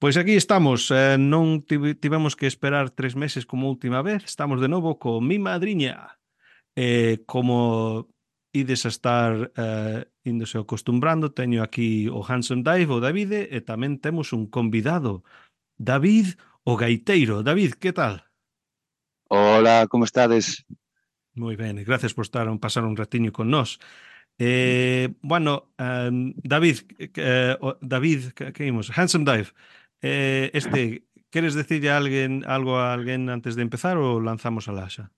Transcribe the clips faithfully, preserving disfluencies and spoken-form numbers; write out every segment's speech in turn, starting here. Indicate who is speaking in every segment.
Speaker 1: Pois aquí estamos, eh, non tive- tivemos que esperar tres meses como a última vez, estamos de novo co mi madriña. Eh, como ides a estar eh, índose acostumbrando, teño aquí o Handsome Dave, o Davide, e tamén temos un convidado, David o Gaiteiro. David, que tal?
Speaker 2: Hola, ¿cómo estades?
Speaker 1: Moi ben, e gracias por estar un pasar un ratiño con nós. Eh, bueno, um, David, eh, o- David, que, que imos? Handsome Dive. Eh, este, queres decirle a alguén algo a alguén antes de empezar ou lanzamos a laxa?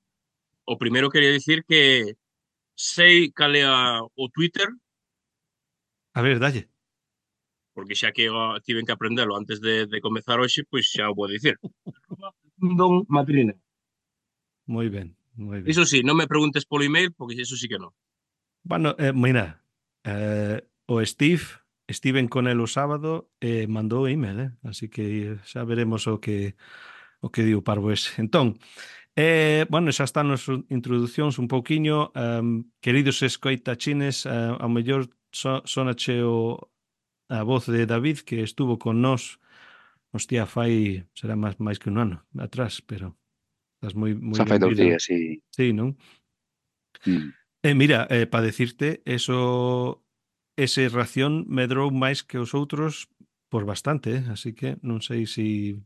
Speaker 3: O primeiro quería dicir que sei cal é a- o Twitter,
Speaker 1: A ver, dalle.
Speaker 3: porque xa que ah, tiven que aprendelo antes de, de comezar hoxe, pois xa o vou dicir. Don Madrina.
Speaker 1: Moi ben, moi ben.
Speaker 3: Iso sí, non me preguntes polo email, porque iso sí que non.
Speaker 1: Bueno, eh, mira, eh, o Steve, Steven con el o sábado eh, mandou email, eh? Así que xa veremos o que o que diu parvo ese. Entón, Eh, bueno, xa están as introducións un pouquiño. Um, queridos escoitachines, uh, ao mellor so, sonache o, a voz de David que estuvo con nós, hostia, fai, será máis, máis que un ano atrás, pero estás moi moi
Speaker 2: Xa fai dous
Speaker 1: benvido.
Speaker 2: días, sí.
Speaker 1: Sí, non?
Speaker 2: Mm.
Speaker 1: E mira, eh, para decirte, eso, ese ración medrou máis que os outros por bastante, eh? Así que non sei si...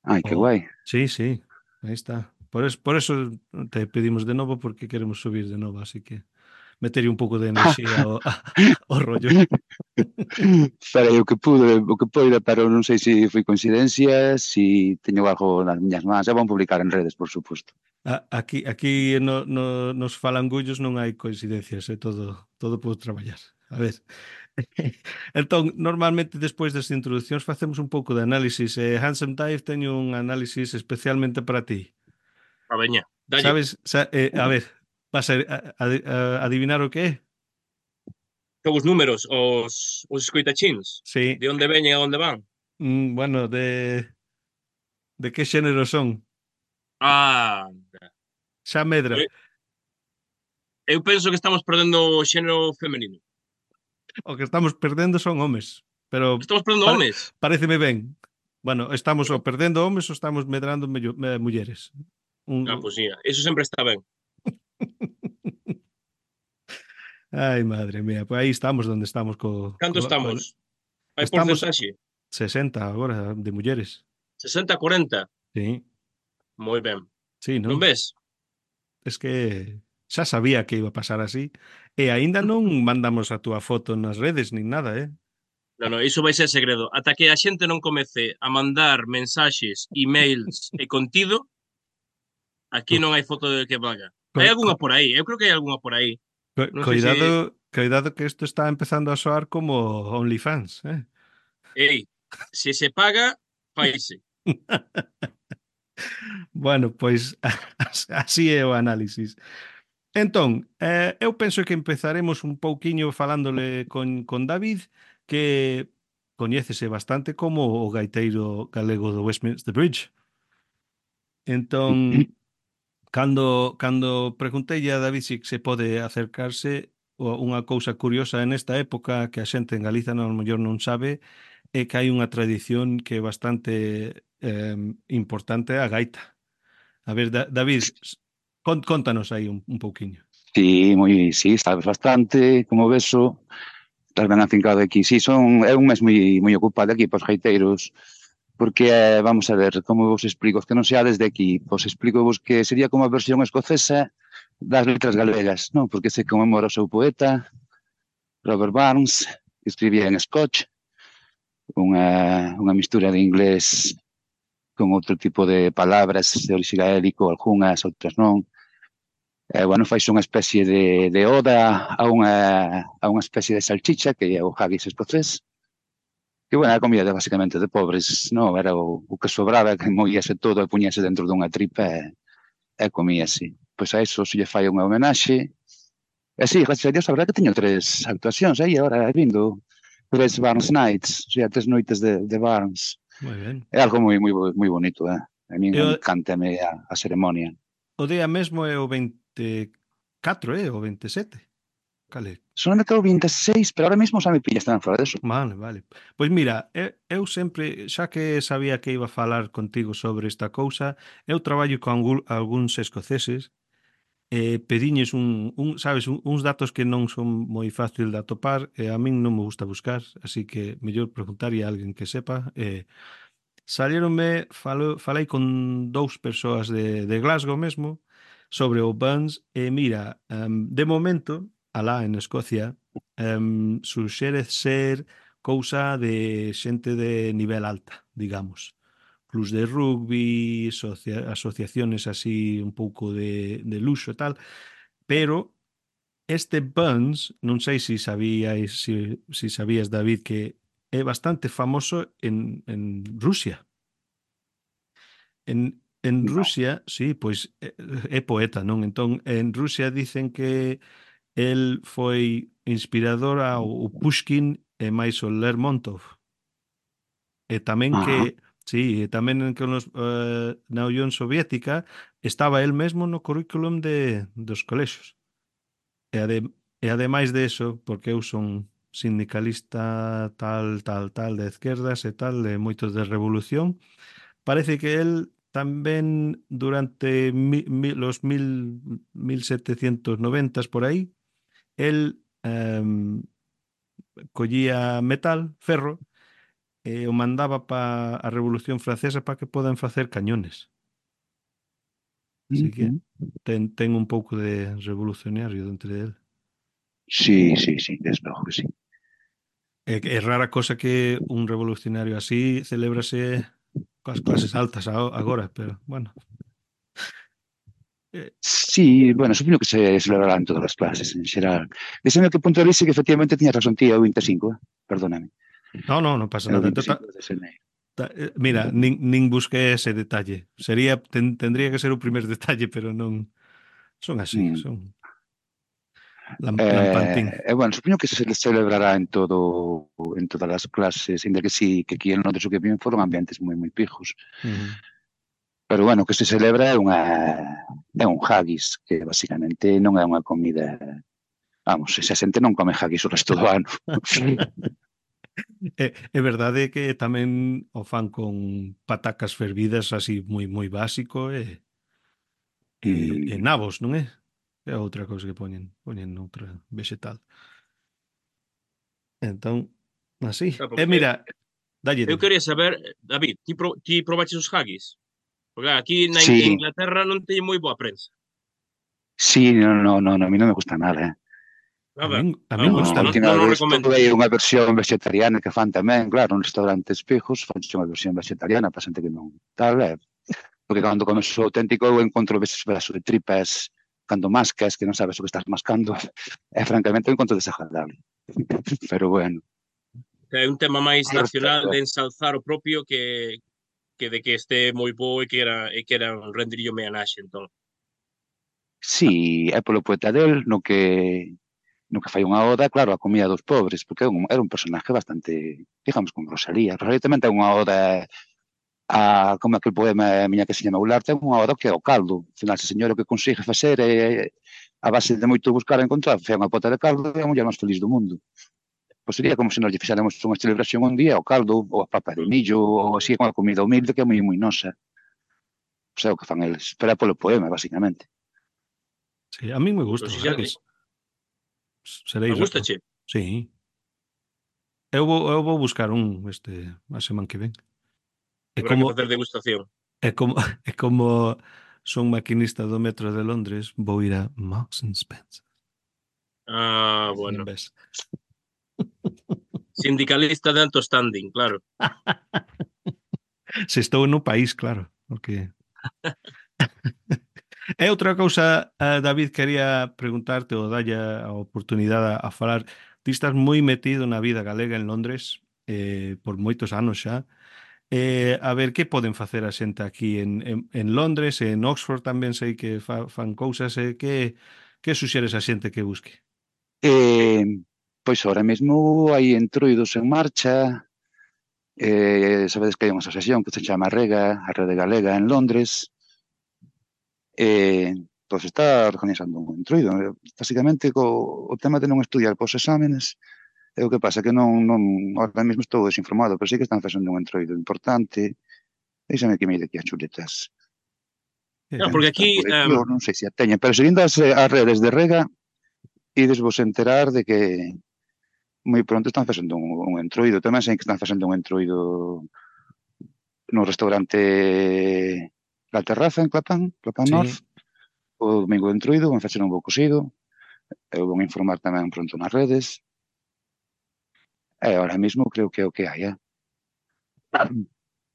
Speaker 2: Ai, que
Speaker 1: Oh,
Speaker 2: guai.
Speaker 1: sí, sí, aí está. Por eso, por eso te pedimos de novo porque queremos subir de novo, así que meterlle un pouco de enerxía ao, ao rollo.
Speaker 2: Farei o que pude, o que poida, pero non sei se foi coincidencia, se teño algo nas miñas mans. E van publicar en redes, por suposto.
Speaker 1: A- Aquí, aquí no, no, nos falangullos non hai coincidencias, é todo, todo por traballar. A ver. Entón, normalmente despois das introduccións facemos un pouco de análisis. Eh, Handsome Dive teño un análisis especialmente para ti.
Speaker 3: A veña, dalle.
Speaker 1: Sabes, sa, eh, a ver, vas a, a, a, a adivinar o que é?
Speaker 3: Son os números, os, os escoitachins,
Speaker 1: Sí.
Speaker 3: de onde veñen e a onde van.
Speaker 1: Mm, bueno, de, de que xénero son?
Speaker 3: Ah,
Speaker 1: Xa medra.
Speaker 3: eu, eu penso que estamos perdendo o xénero femenino.
Speaker 1: O que estamos perdendo son homes. Pero
Speaker 3: Estamos perdendo
Speaker 1: pare,
Speaker 3: homes.
Speaker 1: pareceme ben. Bueno, estamos
Speaker 3: Bueno,
Speaker 1: ou perdendo homes ou estamos medrando mello, me, mulleres. Un...
Speaker 3: ah, pois sí, eso sempre está ben.
Speaker 1: Ai, madre mía. Pois aí estamos onde estamos co,
Speaker 3: Canto
Speaker 1: co, co...
Speaker 3: estamos? Hai
Speaker 1: Estamos
Speaker 3: porcentaxe?
Speaker 1: sesenta agora de mulleres.
Speaker 3: sesenta a cuarenta.
Speaker 1: Sí,
Speaker 3: Moi ben.
Speaker 1: sí,
Speaker 3: Non
Speaker 1: non?
Speaker 3: ves?
Speaker 1: Es que xa sabía que iba a pasar así. E aínda non mandamos a túa foto nas redes nin nada, eh?
Speaker 3: Non, non, iso vai ser segredo. Ata que a xente non comece a mandar mensaxes, emails e contido, aquí
Speaker 1: Co,
Speaker 3: non hai foto de que valga.
Speaker 1: co,
Speaker 3: Hai
Speaker 1: co,
Speaker 3: algunha por aí, eu creo que hai algunha por aí.
Speaker 1: co,
Speaker 3: Non sei se...
Speaker 1: cuidado, cuidado que isto está empezando a soar como OnlyFans, eh?
Speaker 3: Ei, se se paga, faise.
Speaker 1: Bueno, pois así é o análisis. Entón, eh, eu penso que empezaremos un pouquiño falándole con, con David, que coñécese bastante como o gaiteiro galego do Westminster Bridge. Entón, cando, cando preguntei a David se se pode acercarse, o- unha cousa curiosa en esta época que a xente en Galiza non, mellor non sabe é que hai unha tradición que é bastante eh, importante a gaita. A ver, Da- David, s- con- contanos aí un, un pouquiño.
Speaker 2: Sí, moi, sí, sabes bastante, como veso. Estás ben afincado aquí. Sí, son, é un mes moi, moi ocupado aquí pos gaiteiros, porque, eh, vamos a ver, como vos explico, os que non seades de aquí, vos explico vos que sería como a versión escocesa das letras galegas, non? Porque se conmemora o seu poeta, Robert Burns, que escribía en Scotch, unha, unha mistura de inglés con outro tipo de palabras de orixe gaélico, algunhas, outras non. Eh, bueno, fais unha especie de, de oda a unha, a unha especie de salchicha que é o haggis escocés, que, bueno, a comida basicamente de pobres, non? Era o, o que sobraba, que moíase todo e puñase dentro dunha tripa e, e comíase. Pois a eso se lle fai unha homenaxe. E sí, gracias a Dios, a verdad que teño tres actuacións aí agora, vindo tres Barnes Nights, o sea, tres noites de, de Barnes.
Speaker 1: Moi ben.
Speaker 2: É algo moi moi moi bonito, eh? A min
Speaker 1: E o,
Speaker 2: encántame a, a ceremonia.
Speaker 1: o día mesmo é o veinte e catro, eh? O veinte e sete. Cale?
Speaker 2: Soname que é o vinte e seis, pero ahora mesmo xa me pillas tan fora deso.
Speaker 1: Vale, vale. Pois mira, eu, eu sempre, xa que sabía que iba a falar contigo sobre esta cousa, eu traballo con algún- algúns escoceses e pediñes un, un sabes, un, uns datos que non son moi fácil de atopar e a min non me gusta buscar, así que mellor preguntarlle a alguén que sepa. E salieronme, falo, falei con dous persoas de, de Glasgow mesmo sobre o Burns e mira, um, de momento, alá en Escocia, um, suxere ser cousa de xente de nivel alta, digamos. Clubs de rugby, socia asociaciones así un pouco de, de luxo e tal, pero este Burns, non sei se sabíais, si, si sabías, David, que é bastante famoso en, en Rusia. En, en
Speaker 2: No.
Speaker 1: Rusia, sí, pois é, é poeta, non? Entón, en Rusia dicen que el foi inspirador ao o Pushkin e máis o Lermontov. E tamén
Speaker 2: Ajá.
Speaker 1: que, sí, e tamén que nos, eh, na Unión Soviética estaba el mesmo no currículum de, dos colexios. E, ade, e ademais de eso, porque eu son sindicalista tal, tal, tal, de izquierdas e tal, de moitos de revolución, parece que él tamén durante mi, mi, los mil, mil setecientos noventa por aí, él um, collía metal, ferro, e o mandaba para a Revolución Francesa para que podan facer cañones. Así que
Speaker 2: Ujú.
Speaker 1: ten, ten un pouco de revolucionario dentro de él.
Speaker 2: Sí, sí, sí, desde logo que sí.
Speaker 1: É, é rara cosa que un revolucionario así celebrase coas clases altas agora, pero bueno. Eh,
Speaker 2: Sí, bueno, supoño que se celebrarán todas as clases en xeral. Desde que punto de vista que efectivamente tiñas razón ti, é o vinte e cinco, eh? Perdóname.
Speaker 1: no, no, non pasa
Speaker 2: É o
Speaker 1: nada.
Speaker 2: vinte e
Speaker 1: Entón,
Speaker 2: cinco de xaneiro.
Speaker 1: Ta- eh, Mira, nin, nin busqué ese detalle. Sería, ten- tendría que ser o primer detalle, pero non son así,
Speaker 2: Mm.
Speaker 1: son lam, lampantín.
Speaker 2: Eh, e, bueno, supoño que se celebrará en todo en todas as clases, ainda que sí, que aquí en Londres o que vin foron ambientes moi moi pijos.
Speaker 1: Ujú.
Speaker 2: Pero, bueno, o que se celebra é unha é un haggis, que basicamente non é unha comida. Vamos, esa xente non come haggis o resto do ano.
Speaker 1: É, é verdade que tamén o fan con patacas fervidas así moi moi básico e, e, e
Speaker 2: Mm.
Speaker 1: nabos, non é? É outra cousa que poñen, poñen outra vegetal. Entón, así.
Speaker 3: Claro,
Speaker 1: E
Speaker 3: porque
Speaker 1: mira, dalle
Speaker 3: eu
Speaker 1: di.
Speaker 3: quería saber, David, ti, pro, ti probaches os haggis? Porque claro, aquí na In-
Speaker 2: Sí,
Speaker 3: Inglaterra non teñen moi boa prensa.
Speaker 2: sí, no, no, no, no, a mí non me gusta nada, eh.
Speaker 1: A
Speaker 3: Nada.
Speaker 1: min, a
Speaker 3: Ah,
Speaker 1: min
Speaker 3: pois
Speaker 2: No, a
Speaker 3: non,
Speaker 1: gustame.
Speaker 2: última
Speaker 3: non o
Speaker 2: vez
Speaker 3: recomendas.
Speaker 2: probei unha versión vegetariana que fan tamén, claro, un restaurante espejos, fan unha versión vegetariana para xente que non tal, é. Porque cando comes o auténtico eu encontro veces pedazo de tripas cando mascas que non sabes o que estás mascando e francamente eu encontro desagradable. Pero bueno,
Speaker 3: Que é un tema máis
Speaker 2: ao
Speaker 3: nacional
Speaker 2: respecto,
Speaker 3: de ensalzar o propio que que de que este moi bo e que era e que era un rendirillo homenaxe, entón.
Speaker 2: sí, é polo poeta del no que no que fai unha oda, claro, a comida dos pobres, porque é un, era un personaje bastante, digamos, con Rosalía. Rosalía tamén ten unha oda a, como aquel poema miña que se llama Ular, ten unha oda que é o caldo. Al final, se señor o que consigue facer é a base de moito buscar e encontrar, fai unha pota de caldo e é a muller máis feliz do mundo. Pois sería como se nos lle fixéramos unha celebración un día, o caldo, ou a papa de millo, ou así, con a comida humilde que é moi, moi nosa. Pois é o que fan eles. Pero é polo poema, basicamente.
Speaker 1: Sí, a min me
Speaker 3: Pois
Speaker 1: gusta o
Speaker 3: si xa,
Speaker 1: haggis.
Speaker 3: a
Speaker 1: Seréis raro.
Speaker 3: gustache.
Speaker 1: Sí. Eu vou, eu vou buscar un este a semana que ven. É
Speaker 3: Habrá
Speaker 1: como
Speaker 3: que facer degustación.
Speaker 1: é como é como son maquinista do metro de Londres, vou ir a Marks and Spencer.
Speaker 3: Ah,
Speaker 1: Non
Speaker 3: bueno.
Speaker 1: ves?
Speaker 3: Sindicalista de alto standing, claro.
Speaker 1: Se estou no país, claro, porque é outra cousa, eh, David, quería preguntarte ou dalle a oportunidade a, a falar. Ti estás moi metido na vida galega en Londres eh, por moitos anos xa. Eh, a ver, que poden facer a xente aquí en, en, en Londres, en Oxford tamén sei que fa, fan cousas, eh, que, que suxeres a xente que busque?
Speaker 2: Eh, pois ahora mesmo hai entroidos en marcha, eh, sabedes que hai unha asociación que se chama Rega, a Rede Galega en Londres, eh, pois está organizando un entroido. Básicamente, co, o tema de non estudiar pos exámenes, é o que pasa, que non, non, ahora mesmo estou desinformado, pero sí que están facendo un entroido importante. Deixame que mire aquí as chuletas.
Speaker 1: Que
Speaker 3: Claro,
Speaker 1: ben.
Speaker 3: porque
Speaker 2: Están
Speaker 3: aquí,
Speaker 2: por aquí,
Speaker 3: um,
Speaker 2: ou non sei se a teñen, pero seguindo as, as redes de Rega, ides vos enterar de que moi pronto están facendo un, un entroido. Tamén sei que están facendo un entroido no restaurante La Terraza en Clapán, Clapán North,
Speaker 1: Sí,
Speaker 2: o domingo de entroido, van facer un bo cosido, eu vou informar tamén pronto nas redes, e ahora mesmo creo que é o que hai, eh?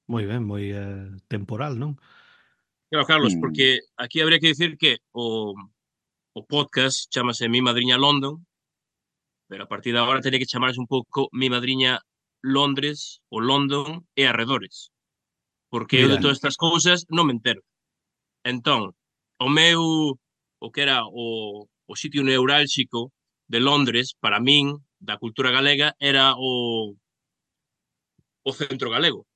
Speaker 1: moi ben, moi eh, temporal, non?
Speaker 3: claro, Carlos,
Speaker 2: Mm,
Speaker 3: porque aquí habría que decir que o, o podcast chamase Mi Madriña London, pero a partir de agora teria que chamarse un pouco Mi Madriña Londres ou London e arredores, porque eu de
Speaker 1: Mira,
Speaker 3: todas estas cousas non me entero. Entón, o meu, o que era o, o sitio neurálxico de Londres, para min, da cultura galega, era o, o centro galego.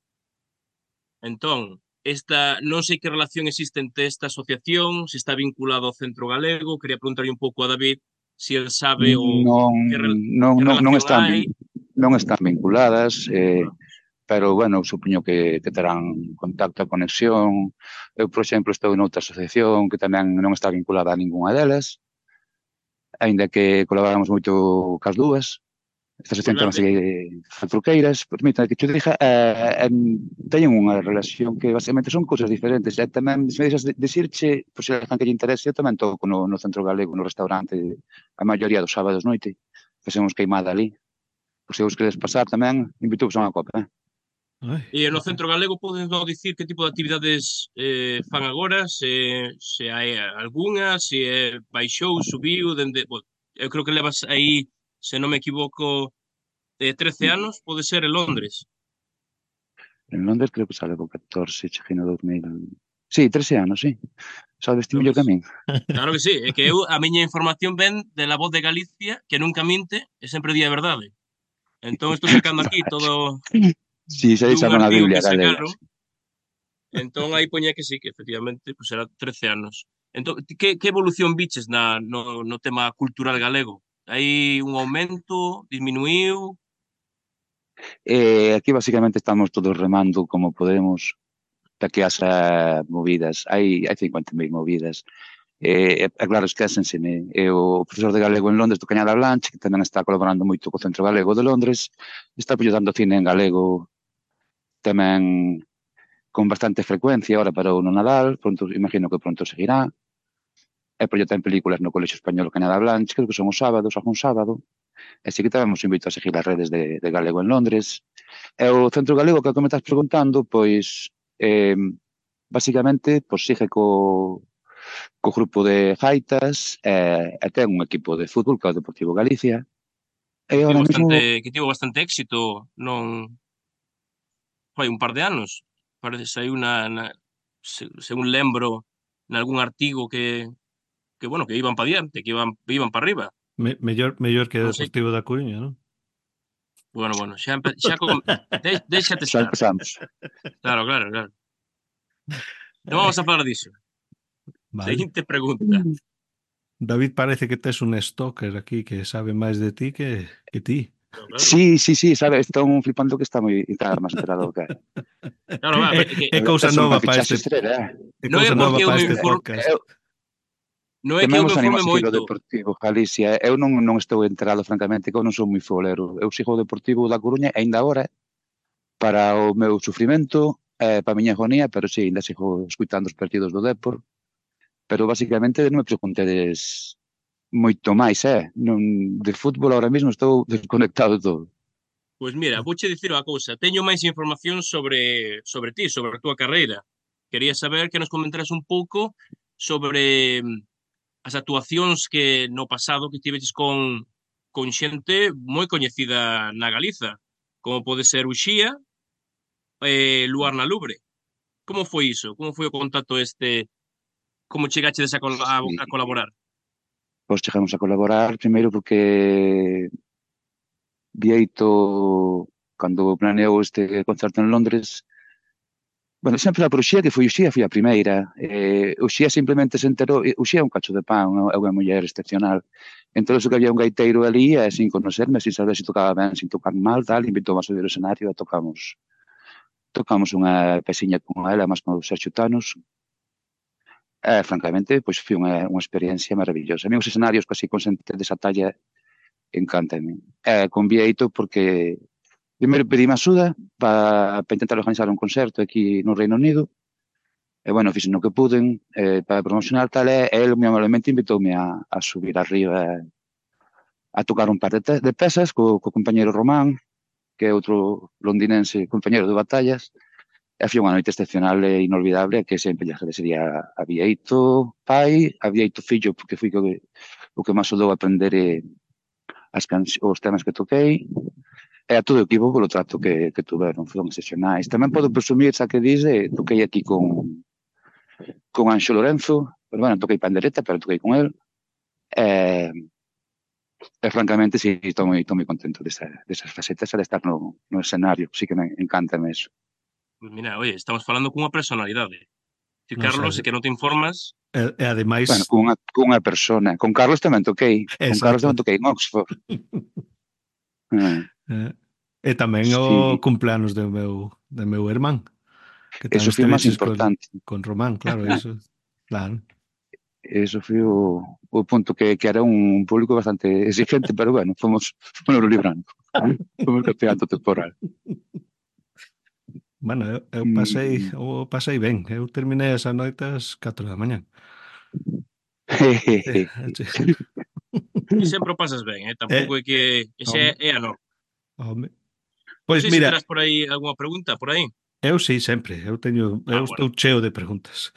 Speaker 3: Entón, esta, non sei que relación existe entre esta asociación, se está vinculado ao centro galego, quería preguntarle un pouco a David se el sabe o
Speaker 2: non,
Speaker 3: que, rel-
Speaker 2: non,
Speaker 3: que
Speaker 2: non, non
Speaker 3: relación
Speaker 2: están
Speaker 3: hai.
Speaker 2: vin- non están vinculadas, eh,
Speaker 3: Ah,
Speaker 2: pero, bueno, supoño que, que terán contacto a conexión. Eu, por exemplo, estou en outra asociación que tamén non está vinculada a ningunha delas, aínda que colaboramos moito cas dúas. Esta
Speaker 3: pois
Speaker 2: asociación
Speaker 3: ben,
Speaker 2: chamase Faltruqueiras. Permítame que te diga, eh, em, teñen unha relación que basicamente son cousas diferentes. E tamén, se me deixas de, decirche, por se alguén que lle interese, eu tamén toco no, no Centro Galego, no restaurante, a maioría dos sábados noite. Facemos queimada ali. Por se vos queres pasar tamén, invito a unha copa, eh?
Speaker 1: ai,
Speaker 3: e no
Speaker 1: eh,
Speaker 3: centro galego poden non dicir que tipo de actividades eh, fan agora, se, se hai algunha, se é baixou, subiu, dende, bueno, eu creo que levas aí, se non me equivoco, eh, trece anos, pode ser en Londres.
Speaker 2: En Londres creo que sale co catorce, cheguei no dos mil. Sí, trece anos, sí. Sabes ti
Speaker 3: Lo
Speaker 2: mellor que a
Speaker 3: ves?
Speaker 2: min.
Speaker 3: Claro que sí, é que eu, a miña información ven de la voz de Galicia, que nunca minte e sempre di a verdade. Entón estou sacando aquí todo
Speaker 2: Sí, xa
Speaker 3: dun
Speaker 2: chaman a
Speaker 3: artigo
Speaker 2: Biblia
Speaker 3: que
Speaker 2: galega.
Speaker 3: sacaron. Entón aí poñía que sí, que efectivamente pues era trece anos. Entón, ti que, que evolución viches na, no, no tema cultural galego? Hai un aumento, disminuiu?
Speaker 2: Eh, aquí basicamente estamos todos remando como podemos para que haxa movidas. Hai, hai cincuenta mil movidas. Eh, é claro, esquésenseme. E o profesor de galego en Londres do Cañada Blanche, que tamén está colaborando moito co Centro Galego de Londres, está dando cine en galego tamén con bastante frecuencia, ahora para o no Nadal, pronto, imagino que pronto seguirá. E proyectan películas no Colexio Español Cañada Blanche, creo que son os sábados, algún sábado. E sí que tamén vos invito a seguir as redes de, de Galego en Londres. E o Centro Galego que me estás preguntando, pois, eh, basicamente, pois sigue co, co grupo de gaitas e, e ten un equipo de fútbol que é o Deportivo Galicia. E
Speaker 3: Que tivo
Speaker 2: ahora mesmo,
Speaker 3: bastante, que tivo bastante éxito non fai un par de anos. Parece saiu na, na se, según lembro nalgún artigo que que bueno, que iban para diante, que iban iban para arriba.
Speaker 1: me, mellor, mellor que
Speaker 3: Non sei.
Speaker 1: Deportivo da Coruña, non?
Speaker 3: Bueno, bueno, xa empe, xa com, de, déxate
Speaker 2: xa
Speaker 3: estar.
Speaker 2: empezamos.
Speaker 3: Claro, claro, claro. Non vamos a falar diso.
Speaker 1: Vale.
Speaker 3: Seguinte pregunta.
Speaker 1: David parece que tes un stalker aquí que sabe máis de ti que, que ti.
Speaker 3: Claro, claro.
Speaker 2: Sí, sí, sí, sabe, están flipando que está moi está máis enterado do que é.
Speaker 3: Claro, va,
Speaker 1: É,
Speaker 3: é que
Speaker 1: é cousa
Speaker 2: Tes unha
Speaker 1: nova para
Speaker 2: fichaxe
Speaker 1: este
Speaker 2: estrela, eh?
Speaker 1: é
Speaker 3: non é
Speaker 1: cousa nova
Speaker 3: porque eu
Speaker 1: para
Speaker 3: me
Speaker 1: este
Speaker 3: informe,
Speaker 1: podcast.
Speaker 2: Eu,
Speaker 3: non é que eu
Speaker 2: tamén
Speaker 3: me
Speaker 2: vos animo
Speaker 3: informe
Speaker 2: a seguir o
Speaker 3: moito.
Speaker 2: Deportivo Galicia. Eu non, non estou enterado, francamente, que eu non sou moi folero. Eu sigo o Deportivo da Coruña, e aínda agora, para o meu sufrimento, eh, para a miña agonía, pero sí, ainda sigo escuitando os partidos do Depor. Pero basicamente non me preguntedes moito máis, eh? Non, de fútbol ahora mesmo estou desconectado de todo.
Speaker 3: Pois mira, vouche dicir unha cousa. Teño máis información sobre sobre ti, sobre a túa carreira. Quería saber que nos comentaras un pouco sobre mm, as actuacións que no pasado que tiveches con con xente moi coñecida na Galiza, como pode ser Uxía e Luar na Lubre. Como foi iso? Como foi o contacto este? Como chegachedes a, col a,
Speaker 2: Sí.
Speaker 3: a colaborar?
Speaker 2: Pois chegamos a colaborar primeiro porque Vieito, cando planeou este concerto en Londres, Bueno, sempre por Uxía, que foi Uxía, foi a primeira. Eh, Uxía simplemente se enterou, eh, Uxía é un cacho de pan, é unha muller excepcional. Entón, que había un gaiteiro ali, e sin conocerme, sin saber se tocaba ben, sin tocar mal, tal, invitou a subir o escenario e tocamos tocamos unha pesiña con ela, máis con o Sergio Tanos. E, francamente, pois foi unha, unha experiencia maravillosa. A mí os escenarios casi con xente desa talla encantan. E convieito porque primeiro pedí axuda para pa intentar organizar un concerto aquí no Reino Unido. E, bueno, fixen o que puden eh, para promocionar tal, e el moi amablemente invitoume a, a subir arriba a tocar un par de, te, de pesas co, co compañero Román, que é outro londinense compañero de batallas, e foi unha noite excepcional e inolvidable que sempre lle agradecería a Bieito pai, a Bieito fillo, porque foi o que, o que máis ajudou a aprender eh, as os temas que toquei, e a todo o equipo polo trato que, que tuveron, foron excepcionais. Tamén podo presumir, xa que dice, toquei aquí con con Anxo Lorenzo, pero bueno, toquei pandereta, pero toquei con el, e, e francamente, sí, estou moi, estou moi contento desa, desas facetas de estar no, no escenario, sí que me encanta eso.
Speaker 3: Pues mira, oye, estamos falando cunha personalidade. Si
Speaker 1: Non
Speaker 3: Carlos,
Speaker 1: sei.
Speaker 3: e que non te informas,
Speaker 1: E, e ademais...
Speaker 2: Bueno, cunha, cunha persona. Con Carlos tamén toquei. Con Carlos
Speaker 1: Exacto.
Speaker 2: tamén toquei en Oxford. Ah,
Speaker 1: Eh, e tamén o
Speaker 2: sí,
Speaker 1: cumpleanos do meu, do meu irmán, que
Speaker 2: eso
Speaker 1: tamén
Speaker 2: foi o máis
Speaker 1: esteveches con,
Speaker 2: importante.
Speaker 1: con Román, claro, iso. Claro.
Speaker 2: Eso foi o, o punto que, que era un público bastante exigente, pero bueno, fomos, fomos librando. Fomos campeando temporal.
Speaker 1: Bueno, eu, eu pasei,
Speaker 2: Mm.
Speaker 1: eu pasei ben. Eu terminei esa noite ás catro da mañá. Eh,
Speaker 3: ti sempre o pasas ben, eh? Tampouco
Speaker 1: eh,
Speaker 3: é que ese
Speaker 1: home,
Speaker 3: é, é a norma.
Speaker 1: home.
Speaker 3: Non
Speaker 1: Pois
Speaker 3: sei se
Speaker 1: mira,
Speaker 3: terás por aí algunha pregunta, por aí.
Speaker 1: eu sí, sempre. Eu teño,
Speaker 3: Ah,
Speaker 1: eu
Speaker 3: bueno.
Speaker 1: estou cheo de preguntas.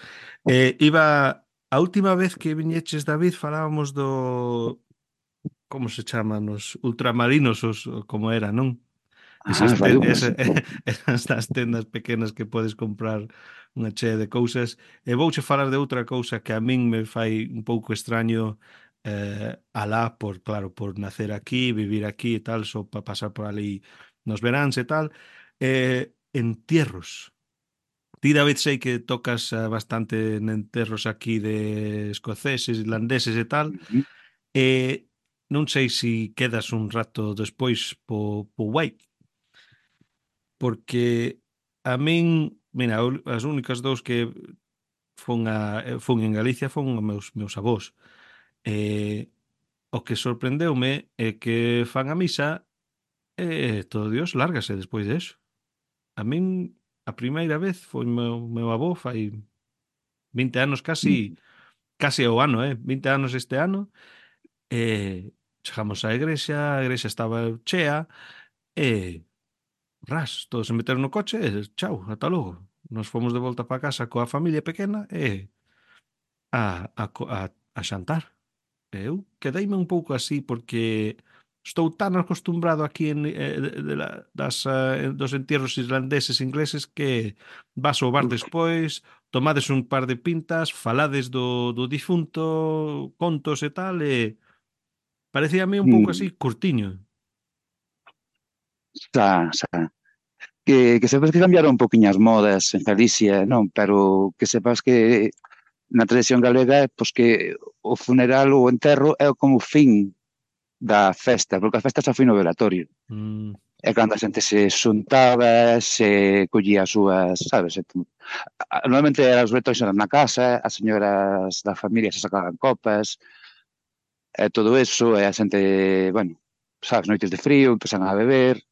Speaker 1: Eh, iba, a última vez que viñeches, David, falábamos do, como se chaman, os ultramarinos, os, como era, non?
Speaker 2: Ah,
Speaker 1: Esas, te,
Speaker 2: vale,
Speaker 1: esa,
Speaker 2: pues.
Speaker 1: esas das tendas pequenas que podes comprar unha chea de cousas. E vouche falar de outra cousa que a min me fai un pouco extraño eh, alá por, claro, por nacer aquí, vivir aquí e tal, só para pasar por ali nos veráns e tal. Eh, entierros. Ti, David, sei que tocas eh, bastante en enterros aquí de escoceses, irlandeses e tal.
Speaker 2: Uh -huh.
Speaker 1: E non sei se quedas un rato despois po, po White, porque a min, mira, as únicas dous que fun, a, fun en Galicia fon os meus, meus avós. E o que sorprendeume é que fan a misa e todo Dios lárgase despois de eso. A min, a primeira vez foi meu, meu avó fai vinte anos casi, casi ao ano, eh? vinte anos este ano, e chegamos á igrexa, a igrexa estaba chea, e ras, todos se meteron no coche e chao, ata logo. Nos fomos de volta para casa coa familia pequena e a, a, co- a, a xantar. E eu quedeime un pouco así porque estou tan acostumbrado aquí en, eh, de, de la, das, eh, dos entierros irlandeses ingleses que vas ao bar despois, tomades un par de pintas, falades do, do difunto, contos e tal, e parecíame un pouco
Speaker 2: Mm.
Speaker 1: así curtiño.
Speaker 2: Xa, xa. Que, que sepas que cambiaron un poquinho as modas en Galicia, non? Pero que sepas que na tradición galega, pois que o funeral ou o enterro é como o fin da festa, porque a festa xa foi no velatorio.
Speaker 1: Mm,
Speaker 2: É cando a xente se xuntaba, se collía as súas, sabes? Normalmente as retois eran na casa, as señoras da familia se sacaban copas, e todo eso, e a xente, bueno, sabes, noites de frío, empezan a beber,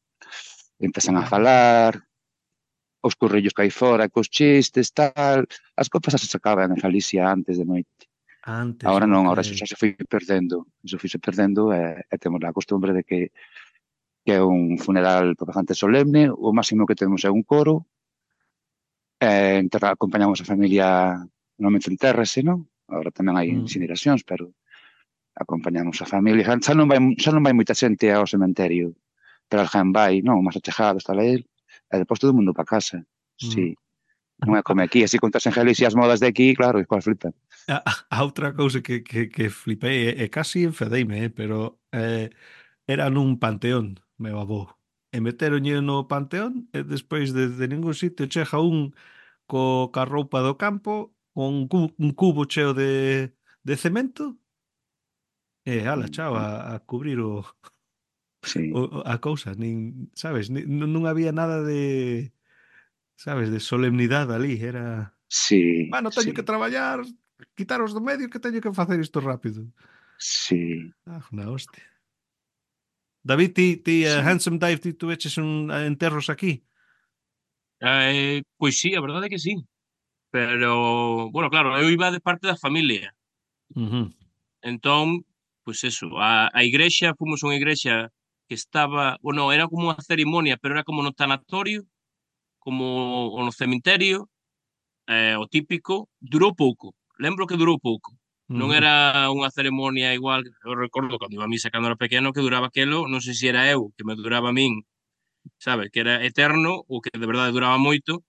Speaker 2: empezan a falar, os currillos que hai fora, cos chistes, tal, as copas xa se sacaban en Galicia antes de noite.
Speaker 1: antes,
Speaker 2: Ahora non,
Speaker 1: ok.
Speaker 2: ahora eso xa se foi perdendo, eso foi se perdendo e, e temos a costumbre de que, que é un funeral bastante solemne, o máximo que temos é un coro, e enterra, acompañamos a familia, normalmente entérrase, non? Ahora tamén hai
Speaker 1: Mm.
Speaker 2: incineracións, pero acompañamos a familia. Xa non vai, xa non vai moita xente ao cementerio, pero alguén vai, non? Máis achegado está a él, e depois todo o mundo para casa.
Speaker 1: Mm.
Speaker 2: Sí, non é como aquí, así contas en Galicia as modas de aquí, claro, e coas flipan.
Speaker 1: A, a outra cousa que, que, que flipei e, e casi enfedeime, eh, pero eh, era nun panteón, meu avó. E meteronlle no panteón e despois de, de ningún sitio chega un co, ca roupa do campo, con un cubo, un cubo cheo de, de cemento, e ala, chao,
Speaker 2: Mm,
Speaker 1: a, a cubrir o,
Speaker 2: sí,
Speaker 1: o, a cousa, nin, sabes, nin, non non había nada de, sabes, de solemnidade ali, era,
Speaker 2: sí,
Speaker 1: bueno, teño que
Speaker 2: sí,
Speaker 1: traballar, quitaros do medio que teño que facer isto rápido.
Speaker 2: sí,
Speaker 1: Ah, na hostia. David, ti, ti uh,
Speaker 2: sí.
Speaker 1: Handsome Dive, ti tú eches un uh, enterros aquí?
Speaker 3: Eh, pois sí, a verdade é que sí. Pero, bueno, claro, eu iba de parte da familia.
Speaker 1: Ujú.
Speaker 3: Entón, pois eso, a, a igrexa, fomos a unha igrexa que estaba, bueno, era como unha cerimonia, pero era como no tanatorio, como o no cemiterio, eh, o típico, durou pouco. Lembro que durou pouco. Non
Speaker 1: Ujú.
Speaker 3: era unha ceremonia igual, eu recordo cando iba a misa cando era pequeno que duraba aquelo, non sei se era eu, que me duraba a min, sabe, que era eterno ou que de verdade duraba moito,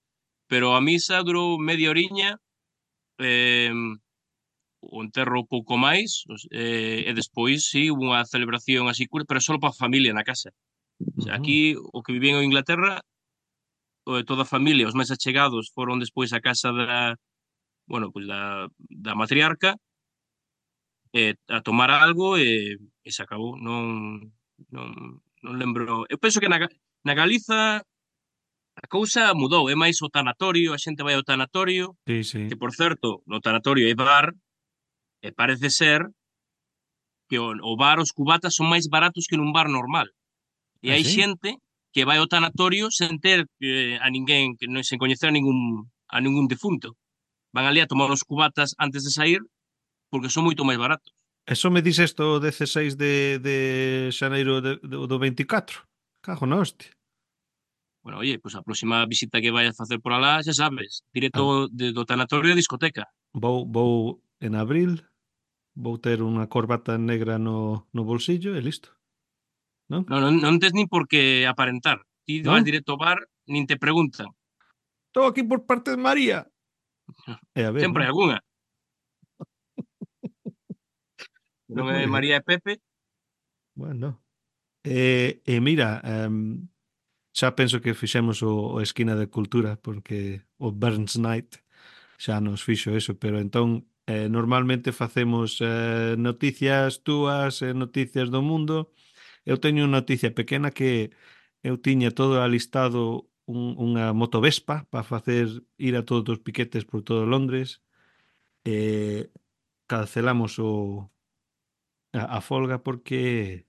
Speaker 3: pero a misa durou media oriña, eh, o enterro pouco máis, os- eh, e despois sí, hubo unha celebración así curta, pero só para a familia na casa. O sea,
Speaker 1: Ujú.
Speaker 3: aquí, o que vivían en Inglaterra, o de toda a familia, os máis achegados foron despois a casa da, bueno, pues da, da matriarca, eh, a tomar algo e, e se acabou. Non, non, non lembro. Eu penso que na, Ga- na Galiza a cousa mudou, é máis o tanatorio, a xente vai ao tanatorio,
Speaker 1: Sí,
Speaker 3: que
Speaker 1: sí.
Speaker 3: por certo, no tanatorio hai bar, e parece ser que o, o bar, os cubatas son máis baratos que nun bar normal. E
Speaker 1: Ah,
Speaker 3: hai
Speaker 1: sí?
Speaker 3: xente que vai ao tanatorio sen ter eh, a ninguén, que non sen coñecer a ningún, a ningún defunto. Van ali a tomar os cubatas antes de sair porque son moito máis baratos.
Speaker 1: Eso me dices isto o dezasseis de, de xaneiro de, do, do veinticuatro? Cago na hostia.
Speaker 3: Bueno, oye, pues a próxima visita que vayas a facer por alá, xa sabes,
Speaker 1: Ah,
Speaker 3: directo de, do tanatorio a discoteca.
Speaker 1: vou, vou en abril, vou ter unha corbata negra no, no bolsillo e listo, non?
Speaker 3: Non, non, non tes nin por que aparentar. Ti
Speaker 1: Non?
Speaker 3: vas directo ao bar, nin te preguntan.
Speaker 1: Estou aquí por parte de María. E a ver,
Speaker 3: Sempre
Speaker 1: non?
Speaker 3: hai algunha.
Speaker 1: Pois
Speaker 3: Non é
Speaker 1: moi ben.
Speaker 3: María e Pepe.
Speaker 1: Bueno. E, e mira, um, xa penso que fixemos o, o esquina de cultura porque o Burns Night xa nos fixo eso, pero entón eh, normalmente facemos eh, noticias túas e noticias do mundo. Eu teño unha noticia pequena que eu tiña todo alistado un, unha motovespa para facer ir a todos os piquetes por todo Londres e cancelamos o, a, a folga porque,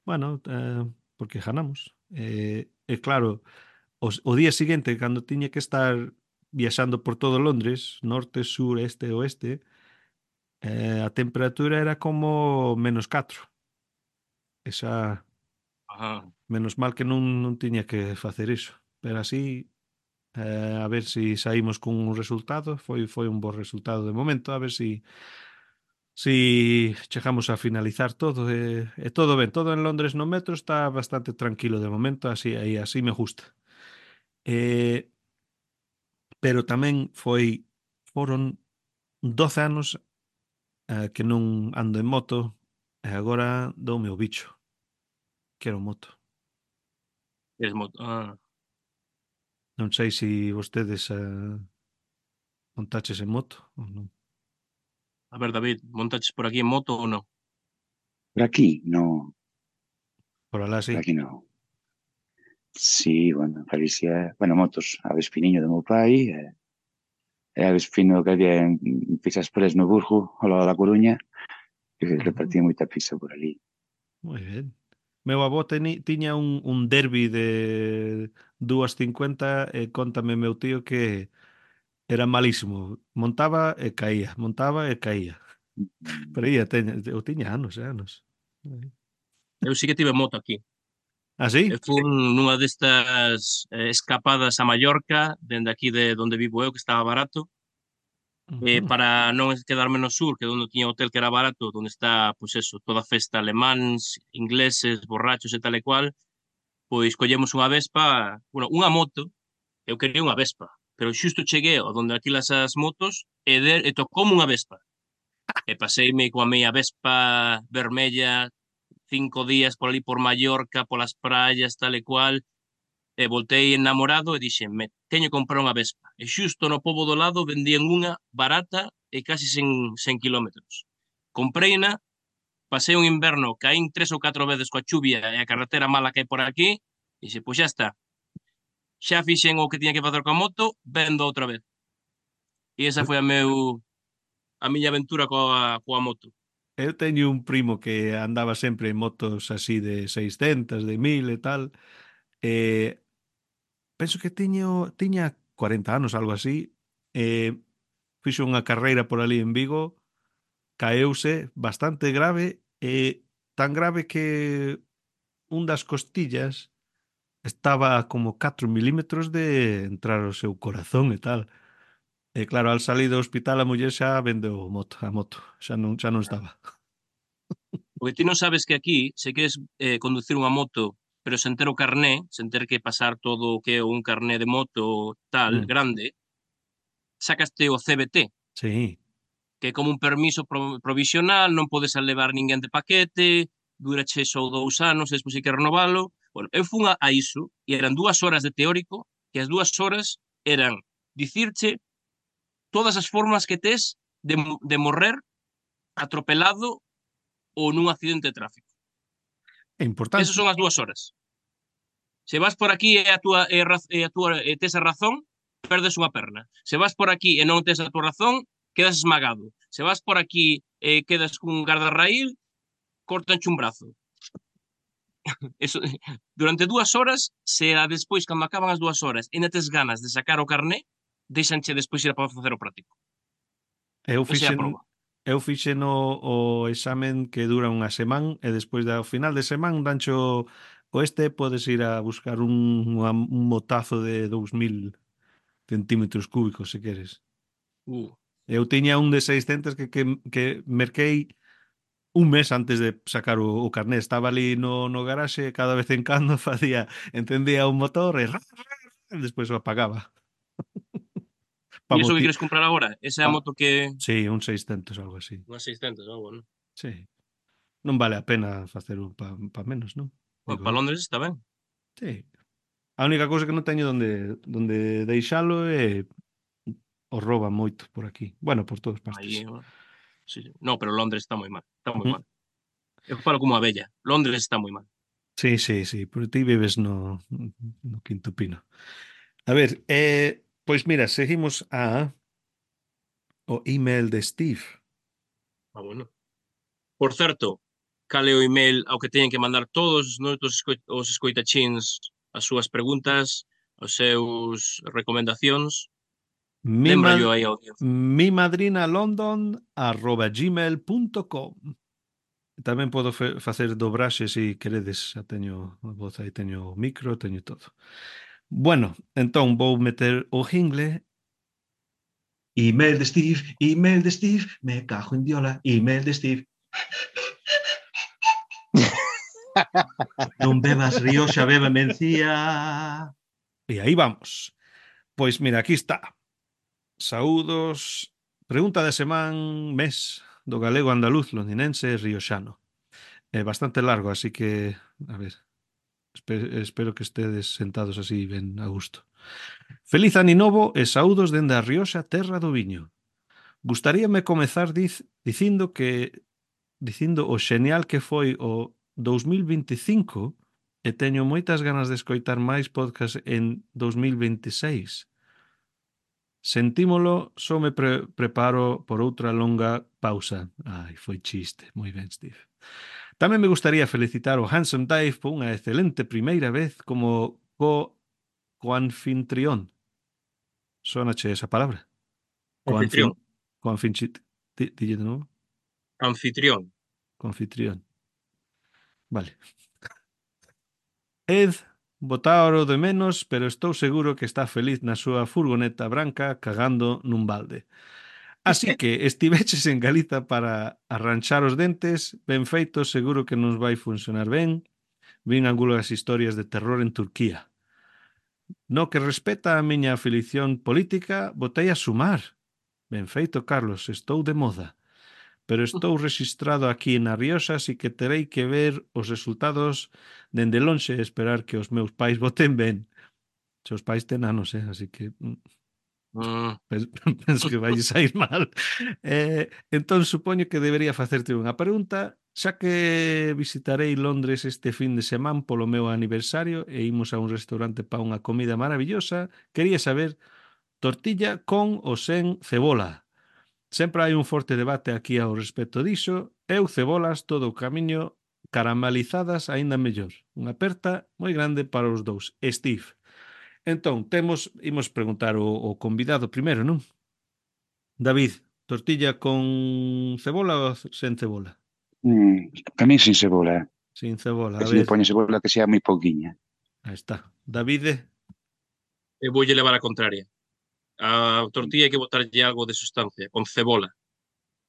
Speaker 1: bueno, eh, porque ganamos. E, e claro, os, o día seguinte, cando tiña que estar viaxando por todo Londres, norte, sur, este, oeste, eh, a temperatura era como menos catro. Esa,
Speaker 3: Ajá.
Speaker 1: menos mal que non, non tiña que facer iso. Pero así, eh, a ver se si saímos cun resultado. Foi, foi un bo resultado de momento, a ver se si, si chegamos a finalizar todo. E, e todo ben, todo en Londres no metro está bastante tranquilo de momento, así, aí, así me gusta. Eh, pero tamén foi, foron doce anos eh, que non ando en moto e agora doume o bicho. Quero moto.
Speaker 3: Eres mo- ah.
Speaker 1: Non sei se vostedes eh, montaches en moto ou non.
Speaker 3: A ver, David, montaches por aquí en moto ou non?
Speaker 2: Por aquí, no,
Speaker 1: Por alá
Speaker 2: por
Speaker 1: sí.
Speaker 2: aquí no. Sí, bueno, en Galicia, bueno, motos, a Vespiniño do meu pai, e, e a Vespino que había en, en Pisas Pres no Burgo, ao lado da Coruña, que se
Speaker 1: Ujú.
Speaker 2: repartía moita pizza por ali.
Speaker 1: Moi ben. Meu avó teni, tiña un, un derbi de dúas cincuenta e contame meu tío que era malísimo. Montaba e caía, montaba e caía.
Speaker 2: Mm,
Speaker 1: Pero ia, teña, eu tiña anos e anos.
Speaker 3: Eu sí que tive moto aquí.
Speaker 1: Ah,
Speaker 3: Eu
Speaker 1: sí?
Speaker 3: fui nunha destas eh, escapadas a Mallorca, dende aquí de onde vivo eu, que estaba barato, eh,
Speaker 1: Ujú.
Speaker 3: para non quedarme no sur, que é onde tiña hotel que era barato, onde está, pois eso, toda a festa alemáns, ingleses, borrachos e tal e cual, pois collemos unha Vespa, bueno, unha moto, eu quería unha Vespa, pero xusto cheguei ao donde alquilas as motos e, de, e tocoume unha Vespa. E paseime coa meia Vespa vermella cinco días por ali por Mallorca, polas praias, tal e cual. E voltei enamorado e dixenme, teño que comprar unha Vespa. E xusto no pobo do lado vendían unha barata e casi sen, sen kilómetros. Compreina, pasei un inverno, caín tres ou catro veces coa chuvia e a carretera mala que hai por aquí, e dixe, pois xa está. Xa fixen o que tiña que facer coa moto, vendo outra vez. E esa foi a meu a miña aventura coa, coa moto.
Speaker 1: Eu teño un primo que andaba sempre en motos así de seiscentos, de mil e tal. E penso que tiño, tiña cuarenta anos, algo así. E fixo unha carreira por ali en Vigo, caeuse bastante grave e tan grave que un das costillas estaba como catro milímetros de entrar o seu corazón e tal. E claro, al salir do hospital a muller xa vendeu moto, a moto, xa non, xa non estaba.
Speaker 3: Porque ti non sabes que aquí, se queres eh, conducir unha moto, pero sen ter o carné, sen ter que pasar todo o que é un carné de moto tal,
Speaker 1: Mm,
Speaker 3: grande, sacaste o C B T,
Speaker 1: sí,
Speaker 3: que é como un permiso pro- provisional, non podes levar ninguén de paquete, durache só dous anos, e despois hai que renovalo. Bueno, eu fun a, a iso, e eran dúas horas de teórico, que as dúas horas eran dicirche todas as formas que tes de, mo- de morrer atropelado ou nun accidente de tráfico.
Speaker 1: é
Speaker 3: Esas
Speaker 1: importante.
Speaker 3: son as dúas horas. Se vas por aquí e a túa, e raz- e a túa e tes a razón, perdes unha perna. Se vas por aquí e non tes a túa razón, quedas esmagado. Se vas por aquí e quedas cun gardarraíl, cortanche un brazo. Eso, durante dúas horas, se a despois, cando acaban as dúas horas, e ainda tes ganas de sacar o carné, deixanche despois ir a facer o práctico.
Speaker 1: Eu
Speaker 3: Esa é a
Speaker 1: fixen
Speaker 3: proba.
Speaker 1: eu fixen o, o examen que dura unha semana e despois do final de semana dancho o este podes ir a buscar un, unha- un motazo de dous mil centímetros cúbicos se queres.
Speaker 3: Uh.
Speaker 1: Eu tiña un de seiscentos que, que, que merquei un mes antes de sacar o, o carné. Estaba ali no, no garaxe e cada vez en cando facía, encendía un motor e, e despois o apagaba.
Speaker 3: E
Speaker 1: Pa
Speaker 3: iso que
Speaker 1: moti
Speaker 3: queres comprar agora? Esa é a
Speaker 1: pa,
Speaker 3: moto que...
Speaker 1: sí, un seiscentos, algo así.
Speaker 3: Unha seiscentos, ah, bueno.
Speaker 1: Sí. Non vale a pena facer un pa, pa menos, non?
Speaker 3: Bueno,
Speaker 1: Digo
Speaker 3: para
Speaker 1: eu.
Speaker 3: Londres está ben.
Speaker 1: Sí. A única cousa que non teño donde donde deixalo é o rouban moito por aquí. Bueno, por todas
Speaker 3: Aí,
Speaker 1: partes.
Speaker 3: bueno, sí, sí. No, pero Londres está moi mal. Está moi
Speaker 1: Mm.
Speaker 3: mal. Eu falo como a bella. Londres está moi mal.
Speaker 1: Sí, sí, sí, pero ti vives no, no Quinto Pino. A ver, eh, pois mira, seguimos a o email de Steve.
Speaker 3: Ah, bueno. Por certo, cal é o email ao que teñen que mandar todos os nosos esco- os escoitachins as súas preguntas, os seus recomendacións.
Speaker 1: Mi,
Speaker 3: Lembrallo
Speaker 1: mad
Speaker 3: aí a audiencia.
Speaker 1: mi madrina london arroba gmail punto com. Tamén podo fe- facer dobraxe se queredes, xa teño a voz aí, teño o micro, teño todo. Bueno, entón vou meter o jingle. Email de Steve, email de Steve, me cajo en diola, email de Steve. Non bebas Rioxa, beba mencía. E aí vamos. Pois mira, aquí está. Saúdos. Pregunta de semán, mes do galego andaluz londinense e rioxano. É bastante largo, así que, a ver, espero, espero que estedes sentados así ben a gusto. Feliz aninovo e saúdos dende a Rioxa, terra do viño. Gustaríame comezar diz, dicindo que dicindo o xenial que foi o dous mil vinte e cinco e teño moitas ganas de escoitar máis podcast en dous mil vinte e seis. Sentímolo, só me pre preparo por outra longa pausa. Ai, foi chiste. Moi ben, Steve. Tamén me gustaría felicitar o Handsome Dave por unha excelente primeira vez como co coanfitrión. Sónache esa palabra?
Speaker 3: Anfitrión.
Speaker 1: Coanfin coanfinchit di, dille de novo.
Speaker 3: Anfitrión.
Speaker 1: Coanfitrión. Vale. Ed, botáoro de menos, pero estou seguro que está feliz na súa furgoneta branca cagando nun balde. Así que estiveches en Galiza para arranchar os dentes, ben feito, seguro que nos vai funcionar ben. Vin algunhas historias de terror en Turquía. No que respeta a miña afilición política, botei a sumar. Ben feito, Carlos, estou de moda. Pero estou registrado aquí na Rioxa, así que terei que ver os resultados dende lonxe e esperar que os meus pais voten ben. Seus pais ten anos, eh? Así que mm,
Speaker 3: Mm,
Speaker 1: pens- penso que vai sair mal. Eh, entón, supoño que debería facerte unha pregunta. Xa que visitarei Londres este fin de semana polo meu aniversario e imos a un restaurante para unha comida maravillosa, quería saber tortilla con ou sen cebola. Sempre hai un forte debate aquí ao respecto diso. Eu cebolas todo o camiño, caramelizadas aínda mellor. Unha aperta moi grande para os dous. Steve. Entón, temos, imos preguntar o, o convidado primeiro, non? David, tortilla con cebola ou sen cebola?
Speaker 2: Mm, a mí sin cebola, eh.
Speaker 1: Sin cebola,
Speaker 2: E
Speaker 1: a
Speaker 2: se lle
Speaker 1: ver,
Speaker 2: poñe cebola que sea moi pouquiña.
Speaker 1: aí está. Davide,
Speaker 3: e voulle levar a contraria. A tortilla hai que botarlle algo de sustancia, con cebola.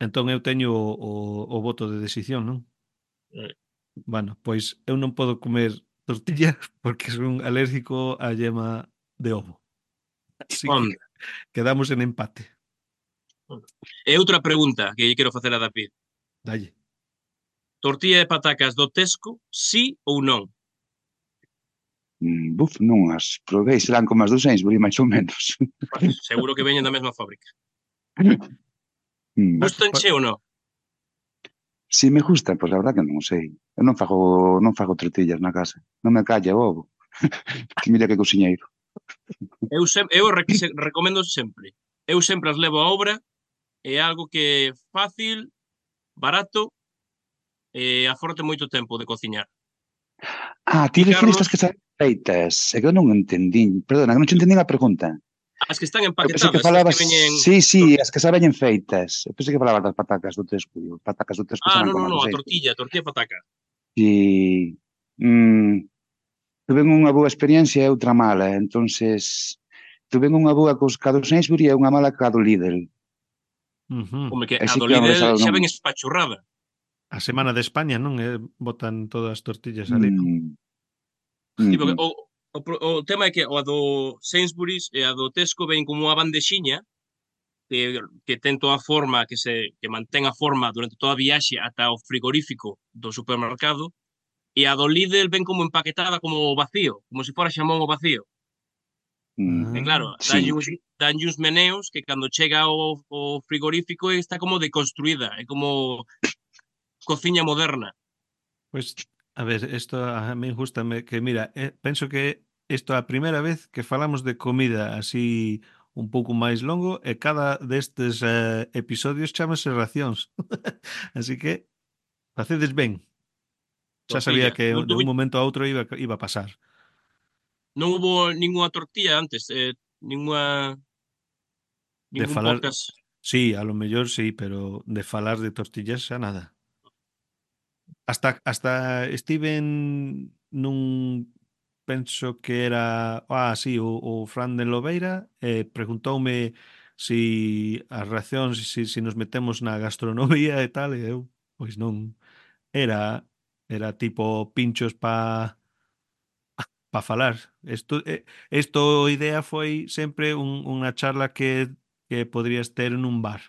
Speaker 1: entón eu teño o, o, o voto de decisión, non?
Speaker 3: Eh,
Speaker 1: Bueno, pois eu non podo comer tortilla porque son alérgico á yema de ovo. Así que
Speaker 3: Onda.
Speaker 1: quedamos en empate.
Speaker 3: E outra pregunta que lle quero facer a David.
Speaker 1: Dalle.
Speaker 3: Tortilla de patacas do Tesco, sí ou non?
Speaker 2: Mm, buf, non as provei, serán como as do Sainsbury, máis ou menos.
Speaker 3: Bah, seguro que veñen da mesma fábrica.
Speaker 2: Mm.
Speaker 1: Pa- pa-
Speaker 3: Gustanche ou non?
Speaker 2: Si me gusta, pois a verdad que non sei. Eu non fago, non fago tortillas na casa. Non me calla o ovo. Que mira que cociñeiro.
Speaker 3: Eu, sem, eu re, se, recomendo sempre. Eu sempre as levo a obra, é algo que é fácil, barato e aforte moito tempo de cociñar.
Speaker 2: Ah, ti
Speaker 3: E
Speaker 2: refires
Speaker 3: Carlos,
Speaker 2: as que están feitas. É que eu non entendín. Perdona, que non te entendín a pregunta.
Speaker 3: as que están
Speaker 2: Eu pensei que
Speaker 3: empaquetadas, as que
Speaker 2: falabas...
Speaker 3: veñen...
Speaker 2: Sí, sí, as que xa veñen feitas. Eu pensei que falabas das patacas do Tesco. Digo, patacas do Tesco
Speaker 3: Ah,
Speaker 2: serán
Speaker 3: non,
Speaker 2: como
Speaker 3: non,
Speaker 2: as do
Speaker 3: non, a
Speaker 2: Sainsbury.
Speaker 3: tortilla, a tortilla pataca.
Speaker 2: E... Mm, tuve unha boa experiencia e outra mala. Entonces, tuve unha boa cos ca do Sainsbury e unha mala ca do Lidl.
Speaker 1: Ujú.
Speaker 3: Como que a
Speaker 2: Así
Speaker 3: do
Speaker 2: que vamos
Speaker 3: Lidl
Speaker 2: deixar
Speaker 3: xa
Speaker 2: non...
Speaker 3: ven espachurrada.
Speaker 1: A semana de España, non? Eh, botan todas as tortillas ali, non?
Speaker 2: Mm,
Speaker 3: Sí,
Speaker 2: mm,
Speaker 3: porque
Speaker 2: mm,
Speaker 3: o, o, pro- o tema é que o a do Sainsbury's e a do Tesco ven como unha bandexiña que, que ten toda a forma, que se que mantén a forma durante toda a viaxe ata o frigorífico do supermercado, e a do Lidl ven como empaquetada como vacío, como se fora xamón o vacío.
Speaker 2: mm.
Speaker 3: E
Speaker 1: Ah,
Speaker 3: claro,
Speaker 2: Sí.
Speaker 3: danlle uns, danlle uns meneos que cando chega ao, ao frigorífico está como deconstruída, é como cociña moderna.
Speaker 1: pois, a ver, isto a mí gustame que, mira, eh, penso que isto é a primeira vez que falamos de comida así un pouco máis longo e cada destes eh, episodios chamase racións. Así que facedes ben. Xa sabía
Speaker 3: Tortilla.
Speaker 1: que
Speaker 3: Non
Speaker 1: de un
Speaker 3: tuve,
Speaker 1: momento a outro iba, iba a pasar.
Speaker 3: non hubo ninguna tortilla antes, eh, ninguna,
Speaker 1: De
Speaker 3: ningún
Speaker 1: falar,
Speaker 3: podcast.
Speaker 1: sí, a lo mellor sí, pero de falar de tortillas xa nada. Hasta hasta Steven nun penso que era, ah, sí, o, o Fran de Lobeira, eh, preguntoume si as reaccións, si, si nos metemos na gastronomía e tal, e eu, pois non, era era tipo pinchos pa pa falar. Isto eh, isto idea foi sempre un, unha charla que que podrías ter nun bar.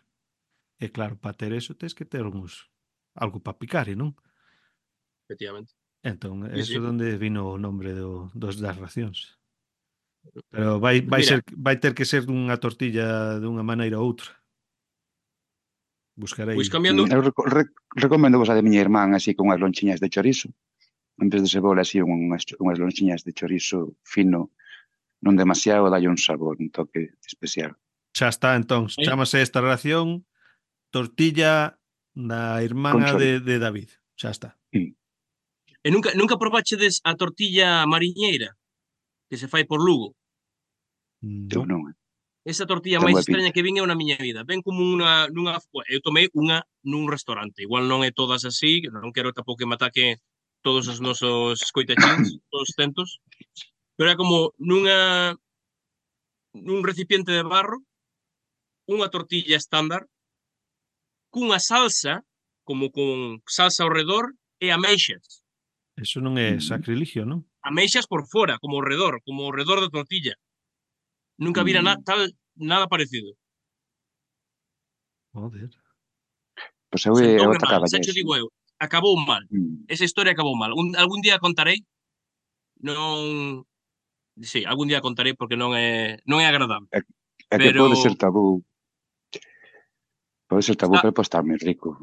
Speaker 1: E claro, para ter eso tens que ter uns algo para picar, e non?
Speaker 3: Efectivamente.
Speaker 1: Entón,
Speaker 3: Sí,
Speaker 1: eso
Speaker 3: sí.
Speaker 1: é onde vino o nombre do, dos das racións. Pero vai,
Speaker 3: Pues
Speaker 1: vai,
Speaker 3: mira,
Speaker 1: ser, vai ter que ser dunha tortilla dunha maneira ou outra.
Speaker 3: pois
Speaker 1: Buscarei.
Speaker 3: cambiando,
Speaker 2: Mm, eu reco re recomendo vos a de miña irmán así con unhas lonchiñas de chorizo. En vez de cebola, así unhas, unhas lonchiñas de chorizo fino, non demasiado, dalle un sabor, un toque especial.
Speaker 1: Xa está, entón.
Speaker 3: eh,
Speaker 1: Chámase esta ración tortilla da
Speaker 2: Con
Speaker 1: irmana de,
Speaker 2: chorizo.
Speaker 1: de David. Xa está.
Speaker 2: Mm.
Speaker 3: e nunca, nunca probachedes a tortilla mariñeira que se fai por Lugo.
Speaker 2: Eu
Speaker 1: Non.
Speaker 2: non, eh.
Speaker 3: Esa tortilla
Speaker 2: Ten
Speaker 3: máis
Speaker 2: boa pinta.
Speaker 3: extraña que vin eu na miña vida. Ven como unha, nunha, bueno, eu tomei unha nun restaurante. Igual non é todas así, non quero tampouco que me ataque todos os nosos escoitachins, todos os centos, pero é como nunha nun recipiente de barro, unha tortilla estándar, cunha salsa, como con salsa ao redor, e ameixas.
Speaker 1: Eso non é
Speaker 2: Mm.
Speaker 1: sacrilegio, non?
Speaker 3: Ameixas por fora, como ao redor, como ao redor da tortilla. Nunca vira na,
Speaker 2: Mm.
Speaker 3: tal, nada parecido.
Speaker 1: Joder.
Speaker 2: Pois eu, eu
Speaker 3: Sentoume mal,
Speaker 2: atacaba
Speaker 3: xa che
Speaker 2: eso.
Speaker 3: digo eu. Acabou mal.
Speaker 2: Mm.
Speaker 3: Esa historia acabou mal. Un, algún día contarei. Non, Sí, algún día contarei porque non é, non é agradable.
Speaker 2: É, é que pode ser
Speaker 3: Pero
Speaker 2: tabú, pode ser tabú,
Speaker 3: está,
Speaker 2: pero pode estar moi rico.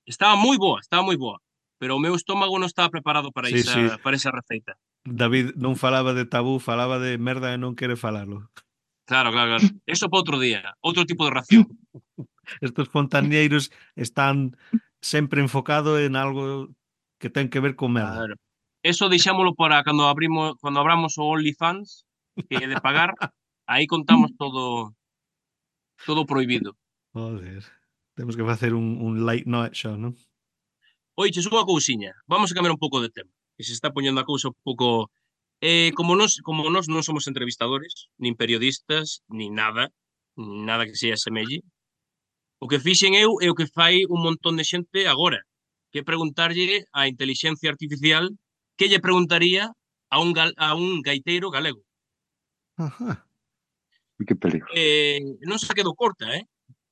Speaker 3: estaba moi boa, estaba moi boa. Pero o meu estómago non estaba preparado para
Speaker 1: Sí, sí.
Speaker 3: esa, para esa receita.
Speaker 1: David non falaba de tabú, falaba de merda e non quere falalo.
Speaker 3: Claro, claro, claro. Eso para outro día, outro tipo de ración.
Speaker 1: Estos fontañeiros están sempre enfocado en algo que ten que ver con merda.
Speaker 3: Claro. Eso deixámolo para cando abrimos, cando abramos o OnlyFans, que é de pagar, aí contamos todo todo prohibido.
Speaker 1: Joder. Temos que facer un, un late night show, non?
Speaker 3: Oiches, unha cousiña, vamos a cambiar un pouco de tema, que se está poñendo a cousa un pouco... Eh, como nos, como nos non somos entrevistadores, nin periodistas, nin nada, nin nada que se asemelle, o que fixen eu é o que fai un montón de xente agora, que é preguntarlle á inteligencia artificial que lle preguntaría a un, gal, a un gaiteiro galego.
Speaker 1: Ajá.
Speaker 2: Que peligro.
Speaker 3: Eh, non se quedou corta, eh?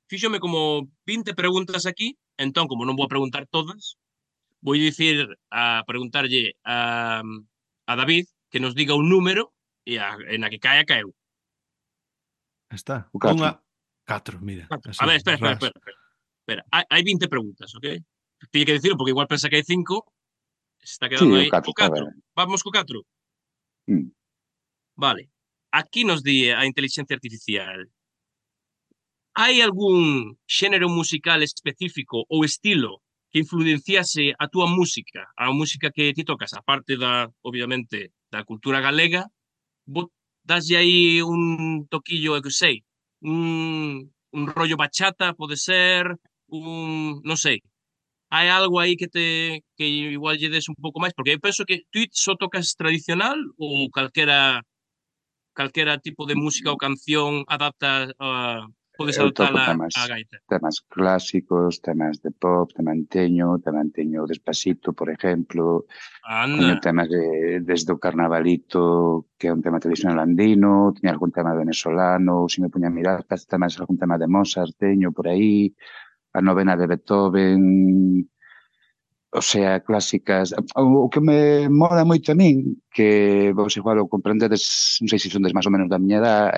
Speaker 3: Fíxome como vinte preguntas aquí, entón, como non vou a preguntar todas, vou dicir a preguntarlle a, a David que nos diga un número e a, en a que caia, caeu.
Speaker 1: Está.
Speaker 2: O catro.
Speaker 1: Unha... Catro, mira. Así,
Speaker 3: A ver, espera, espera,
Speaker 1: ras.
Speaker 3: espera. espera. espera. Hai, hai vinte preguntas, ok? Tiene que decirlo porque igual pensa que hai cinco, se está
Speaker 2: Sí,
Speaker 3: quedando
Speaker 2: o
Speaker 3: aí.
Speaker 2: catro
Speaker 3: O
Speaker 2: está
Speaker 3: catro.
Speaker 2: ben.
Speaker 3: Vamos co catro.
Speaker 2: Mm.
Speaker 3: Vale. Aquí nos di a inteligencia artificial. Hai algún xénero musical específico ou estilo que influenciase a túa música, a música que ti tocas, aparte da, obviamente, da cultura galega, vos daslle aí un toquillo, eu que sei, un, un rollo bachata, pode ser, un, non sei, hai algo aí que te que igual lle des un pouco máis, porque eu penso que tú só tocas tradicional ou calquera calquera tipo de música ou canción adapta a podes
Speaker 2: Eu toco
Speaker 3: adaptala
Speaker 2: temas,
Speaker 3: á gaita.
Speaker 2: temas clásicos, temas de pop, temanteño, temanteño Despacito, por exemplo. Teño
Speaker 3: Anda,
Speaker 2: temas de, desde o Carnavalito, que é un tema tradicional andino, teño algún tema venezolano, se me puña a mirar, temas, algún tema de Mozart, teño por aí, a novena de Beethoven, o sea, clásicas. O, o que me mola moito a min, que vos igual o comprendedes, non sei se son des máis ou menos da miña edad,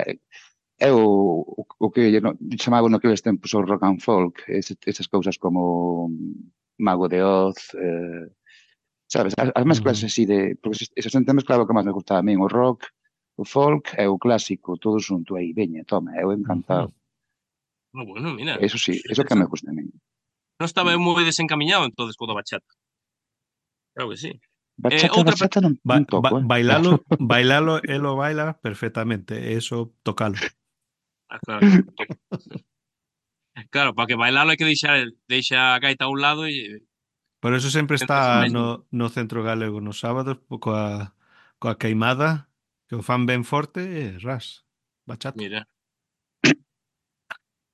Speaker 2: é o, o, o que no, chamaban naqueles tempos o rock and folk, ese, esas cousas como Mago de Oz, eh, sabes, as, as mezclas
Speaker 1: Ujú.
Speaker 2: así de, porque esos, esos son temas claro que máis me gustaba a min, o rock, o folk e o clásico, todo xunto aí, veña, toma, eu
Speaker 1: Ujú.
Speaker 2: encantado.
Speaker 3: no, bueno, mira,
Speaker 2: Eso sí,
Speaker 3: eso é
Speaker 2: eso que me
Speaker 3: interesante.
Speaker 2: gusta a min.
Speaker 3: Non estaba eu moi desencamiñado entonces co da bachata. Claro que sí. Eh,
Speaker 2: Bachata,
Speaker 3: outra,
Speaker 2: bachata non,
Speaker 1: Ba
Speaker 2: non toco,
Speaker 1: ba
Speaker 2: eh.
Speaker 1: bailalo, bailalo, él lo baila perfectamente. Eso, tocalo.
Speaker 3: ah, claro, claro. Claro, para que bailalo hai que deixar, deixa a gaita a un lado e
Speaker 1: Por eso sempre
Speaker 3: centrarse
Speaker 1: está
Speaker 3: máis nun.
Speaker 1: no, no Centro Galego nos sábados coa, coa queimada, que o fan ben forte e ras, bachata.
Speaker 3: Mira,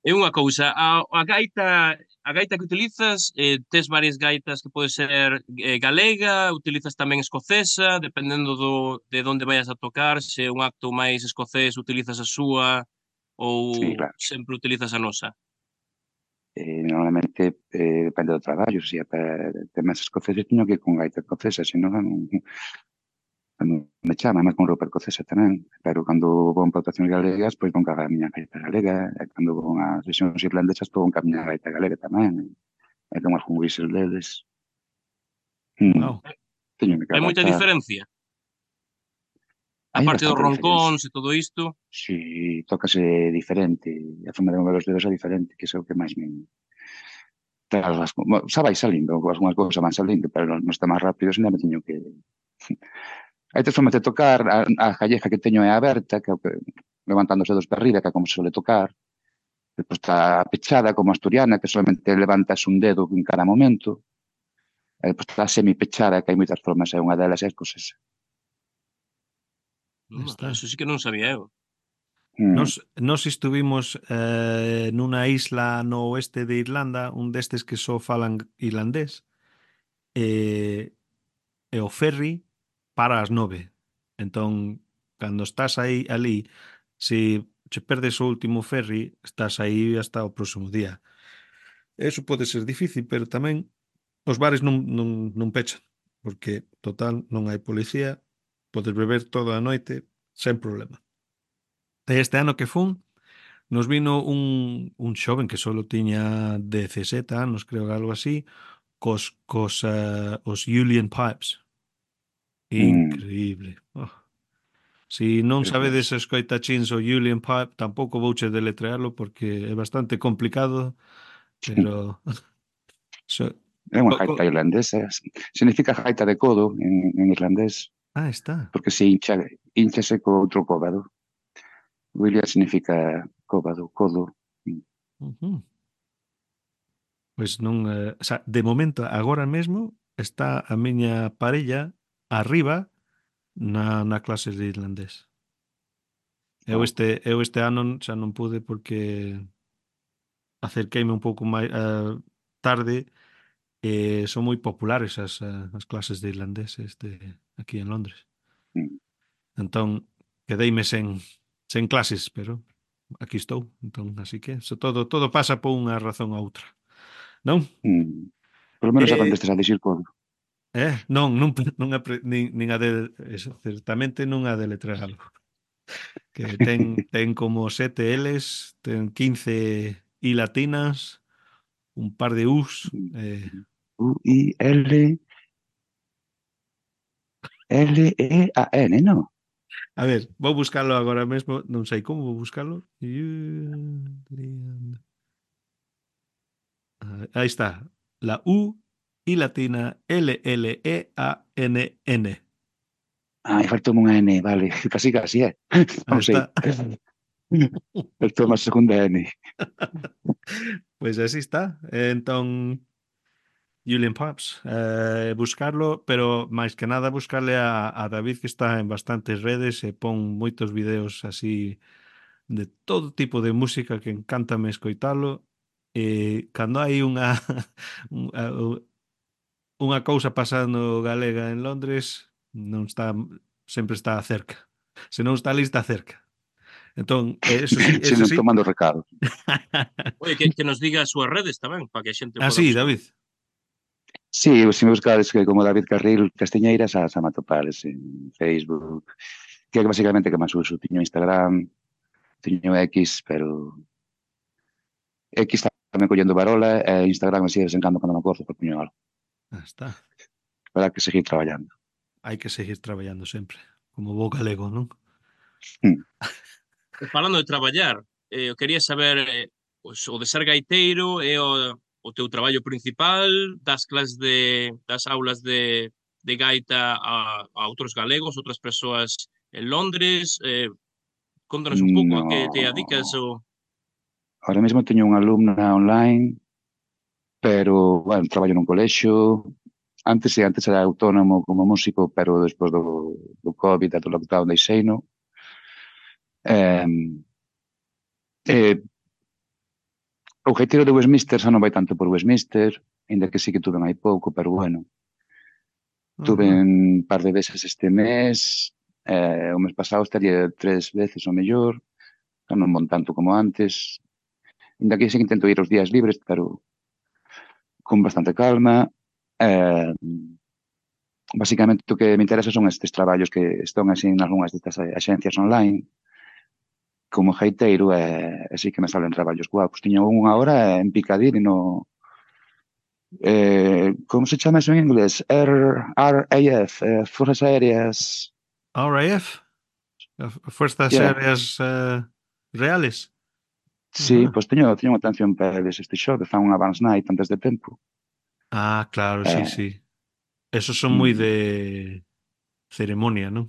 Speaker 3: é unha cousa, a, a gaita a gaita que utilizas, eh, tes varias gaitas que pode ser eh, galega, utilizas tamén escocesa, dependendo do, de onde vayas a tocar, se é un acto máis escocés utilizas a súa
Speaker 2: Sí,
Speaker 3: ou
Speaker 2: claro.
Speaker 3: sempre utilizas a nosa.
Speaker 2: Eh, normalmente eh, depende do traballo, se é para temas escoceses teño que ir con gaita escocesa, senón non, cando me chama, máis con roupa escocesa tamén, pero cando vou en plantacións galegas, pois vou ca miña gaita galega, e cando vou a sesións irlandesas, pois vou ca miña gaita galega tamén, e con algún whistle deles. Mm,
Speaker 1: Wow.
Speaker 2: teño que
Speaker 3: Hai moita
Speaker 2: adaptar.
Speaker 3: diferencia,
Speaker 2: Hai
Speaker 3: aparte dos
Speaker 2: bastante diferencia.
Speaker 3: roncóns e todo isto.
Speaker 2: Si tócase diferente, a forma de mover os dedos é diferente, que é o que máis me... Claro, as, xa vai salindo, algunhas cousas van salindo, pero non está máis rápido, senón me teño que... Hai tres formas de tocar, a, a calleja que teño é aberta, que é o que levantando os dedos para arriba, que é como se suele tocar. Depois está pechada, como asturiana, que solamente levantas un dedo en cada momento. E depois está semipechada, que hai moitas formas, e unha delas é escocesa.
Speaker 3: Mm,
Speaker 1: Está.
Speaker 3: Eso sí que non sabía eu.
Speaker 2: Mm.
Speaker 1: Nos, nos estuvimos eh, nunha isla no oeste de Irlanda, un destes que só falan irlandés, e, e o ferry para as nove. Entón, cando estás aí ali, se che perdes o último ferry, estás aí hasta o próximo día. Eso pode ser difícil, pero tamén os bares non, non, non pechan, porque, total, non hai policía, podes beber toda a noite, sen problema. E este ano que fun, nos vino un, un xoven que solo tiña dezasete anos, creo que algo así, cos, cos uh, os Julian Pipes.
Speaker 2: Mm,
Speaker 1: Increíble. Oh. Si non sabedes
Speaker 2: precioso.
Speaker 1: escoitachins o Julian Pipe, tampouco vouche deletrealo porque é bastante complicado, pero so,
Speaker 2: É unha
Speaker 1: co, co,
Speaker 2: gaita irlandesa. Significa gaita de codo en, en irlandés,
Speaker 1: ah, está.
Speaker 2: porque se hincha, hinchase co outro cóbado. William significa cóbado, codo.
Speaker 1: Uh -huh. Pois non, eh, o sea, de momento agora mesmo está a miña parella arriba na na clase de irlandés. Eu
Speaker 2: Oh,
Speaker 1: este eu este ano xa non pude porque acerqueime un pouco máis uh, tarde e son moi populares as, uh, as clases de irlandés este, aquí en Londres.
Speaker 2: mm,
Speaker 1: Entón, quedeime sen, sen clases, pero aquí estou. Entón, así que so todo todo pasa por unha razón ou outra. Non?
Speaker 2: mm. Por lo menos
Speaker 1: Eh,
Speaker 2: aprendestes a dicir codo.
Speaker 1: eh, non, non, non apre, nin, nin a de, eso, certamente non a de letrarlo. Que ten, ten como sete L's, ten quince I latinas, un par de U's. Eh,
Speaker 2: U-I-L, L-E-A-N, ¿no?
Speaker 1: a ver, vou buscarlo agora mesmo, non sei como vou buscarlo. Julian. Ah, ahí está. La U y latina L L E A N N.
Speaker 2: Ai, faltou unha N, vale. Casi, casi, é.
Speaker 1: Ahí
Speaker 2: Non sei.
Speaker 1: está.
Speaker 2: Faltou unha segunda N.
Speaker 1: Pues así está. Entón, Julian Pops, eh, buscarlo, pero máis que nada buscarle a, a David que está en bastantes redes e pon moitos videos así de todo tipo de música que encántame escoitalo. E cando hai unha un- a- u- unha cousa pasando galega en Londres, non está sempre está cerca. Se non está ali, está cerca. Entón, eh, eso sí,
Speaker 2: Se
Speaker 1: eso
Speaker 2: non
Speaker 1: sí.
Speaker 2: tomando recado.
Speaker 3: Oye, que, que nos diga as súas redes tamén, para que a xente
Speaker 1: Ah,
Speaker 3: poda
Speaker 1: sí,
Speaker 3: buscar.
Speaker 1: David.
Speaker 2: Sí, se me buscades que como David Carril Castiñeiras a Sama Topales en Facebook, que é basicamente que máis uso. Tiño Instagram, tiño X, pero X tamén collendo varola e Instagram así de vez en cando cando me acordo por puño algo.
Speaker 1: Ah, está.
Speaker 2: Para que seguir traballando.
Speaker 1: Hai que seguir traballando sempre. Como bo galego, non?
Speaker 2: Mm.
Speaker 3: E falando de traballar, eh, eu quería saber, eh, pues, o de ser gaiteiro é o, o teu traballo principal, das clases de, das aulas de, de gaita a, a outros galegos, outras persoas en Londres, eh, contanos un pouco a que te adicas
Speaker 2: No.
Speaker 3: o...
Speaker 2: Ahora mesmo teño unha alumna online, pero, bueno, traballo nun colexio. Antes, sí, antes era autónomo como músico, pero despois do, do COVID e do lockdown deixeino. Eh, eh, o gaiteiro de Westminster xa non vai tanto por Westminster, ainda que sí que tuve hai pouco, pero bueno. Tuve
Speaker 1: Ajá.
Speaker 2: un par de veces este mes, eh, o mes pasado estaría tres veces o mellor, xa non mon tanto como antes. Ainda que sí que intento ir os días libres, pero con bastante calma. Eh, Basicamente o que me interesa son estes traballos que están así en algunhas destas axencias online como gaiteiro e así que me salen traballos guapos. Tiño unha hora en Piccadilly no eh, como se chama eso en inglés? R R A F, eh, Fuerzas Aéreas.
Speaker 1: R A F, Fuerzas
Speaker 2: Yeah.
Speaker 1: Aéreas uh, Reales.
Speaker 2: Sí,
Speaker 1: Ajá.
Speaker 2: pois teño, teño unha atención para eles este xoves, fan unha Advance Night antes de tempo.
Speaker 1: Ah, claro, sí,
Speaker 2: Eh,
Speaker 1: sí. Esos son moi
Speaker 2: mm,
Speaker 1: de ceremonia, non?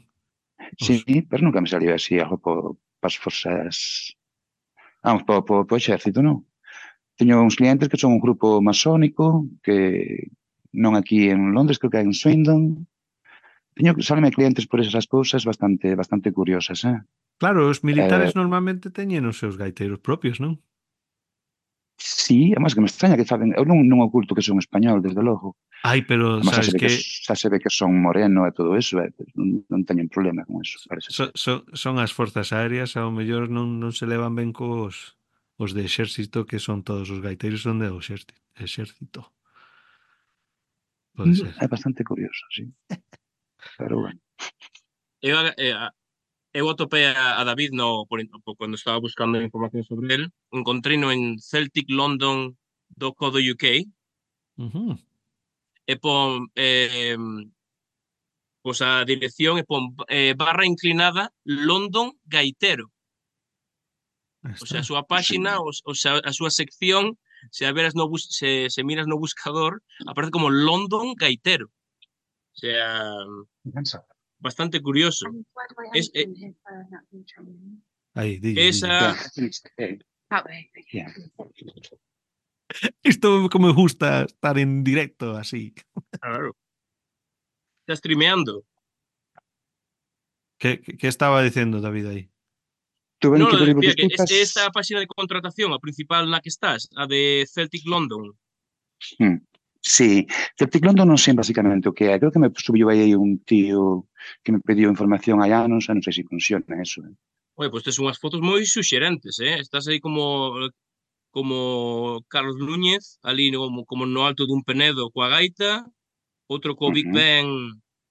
Speaker 2: sí,
Speaker 1: Os...
Speaker 2: pero nunca me salió así algo po, pas forzas, vamos, po, po, po exército, non? Teño uns clientes que son un grupo masónico, que non aquí en Londres, creo que hai en Swindon. Teño, sáleme clientes por esas cousas bastante bastante curiosas, eh?
Speaker 1: Claro, os
Speaker 2: eh
Speaker 1: militares normalmente teñen os seus gaiteiros propios, non?
Speaker 2: sí, además que me extraña que saben, eu non, non oculto que son español, desde logo.
Speaker 1: Ai, pero
Speaker 2: Además xa se
Speaker 1: sabes
Speaker 2: ve que,
Speaker 1: que
Speaker 2: xa se ve que son moreno e todo eso, eh? non, non teñen problema con eso, parece
Speaker 1: so,
Speaker 2: ser.
Speaker 1: so, son as forzas aéreas, ao mellor non, non se levan ben cos os de exército, que son todos os gaiteiros son de exército. exército. Pode
Speaker 2: Mm,
Speaker 1: ser.
Speaker 2: É bastante curioso, sí, pero bueno.
Speaker 3: Eu, eh, eu atopei a, a David no, por, por, cando estaba buscando información sobre él, encontrei no en celtic london punto co punto uk
Speaker 1: Ujú.
Speaker 3: e pon eh, pois a dirección e pon eh, barra inclinada London Gaitero.
Speaker 1: Ahí
Speaker 3: O sea, a
Speaker 1: está.
Speaker 3: súa
Speaker 2: Sí.
Speaker 3: páxina, o, o sea, a súa sección, se a veras no bus, se, se miras no buscador, aparece como London Gaitero. O sea, bastante curioso. Es, eh,
Speaker 1: Aí, dille, dille.
Speaker 3: esa,
Speaker 2: Yeah. Yeah.
Speaker 1: Isto como me gusta estar en directo así.
Speaker 3: claro, está streameando.
Speaker 1: Que, que, que estaba dicendo David aí?
Speaker 2: Tú ben
Speaker 3: No,
Speaker 2: que
Speaker 3: lo
Speaker 2: pedir
Speaker 3: decía que es
Speaker 2: disculpas.
Speaker 3: esta páxina de contratación, a principal na que estás, a de Celtic London.
Speaker 2: Hmm. Sí, Celtic London non sei basicamente o que é. Creo que me subiu aí un tío que me pediu información hai anos e non sei se funciona eso. Eh.
Speaker 3: Oye, pues tes unhas fotos moi suxerentes, eh? Estás aí como como Carlos Núñez, ali no, como, como no alto dun penedo coa gaita, outro co
Speaker 2: Uh
Speaker 3: Big
Speaker 2: -huh.
Speaker 3: Ben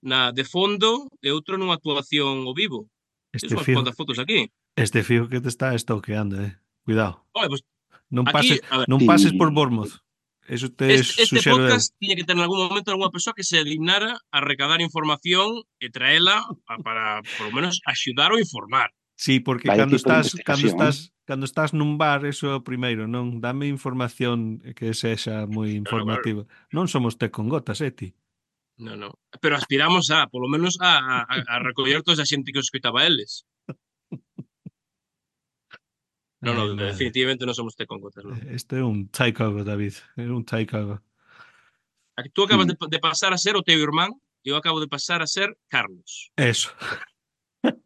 Speaker 3: na de fondo e outro nunha actuación ao vivo. Tens
Speaker 1: Este
Speaker 3: unhas
Speaker 1: fijo,
Speaker 3: cuantas fotos aquí.
Speaker 1: este fijo que te está stalkeando, eh. Cuidado.
Speaker 3: Oye, pues
Speaker 1: Non
Speaker 3: aquí,
Speaker 1: pases,
Speaker 3: a ver,
Speaker 1: non pases por
Speaker 2: Sí.
Speaker 1: Bournemouth. Eso te
Speaker 3: este, este
Speaker 1: suxero eu.
Speaker 3: podcast tiña que ter en algún momento algunha persoa que se dignara a recadar información e traela a, para, por lo menos, axudar ou informar.
Speaker 1: Sí, porque
Speaker 2: Vaya
Speaker 1: cando
Speaker 2: tipo de
Speaker 1: estás cando
Speaker 2: investigación.
Speaker 1: estás cando estás nun bar, eso é o primeiro, non? Dame información que sexa moi
Speaker 3: Claro, claro.
Speaker 1: informativa. Non somos té con gotas, eh, ti.
Speaker 3: No, no. Pero aspiramos a, por lo menos, a, a, a recoller toda esa xente que os escoitaba eles. No,
Speaker 1: Ai,
Speaker 3: no,
Speaker 1: madre.
Speaker 3: definitivamente non somos té con gotas, non.
Speaker 1: Este é un takeover, David. É un takeover.
Speaker 3: Aquí tú acabas
Speaker 2: Hmm.
Speaker 3: de, de pasar a ser o teu irmán e eu acabo de pasar a ser Carlos.
Speaker 1: Eso.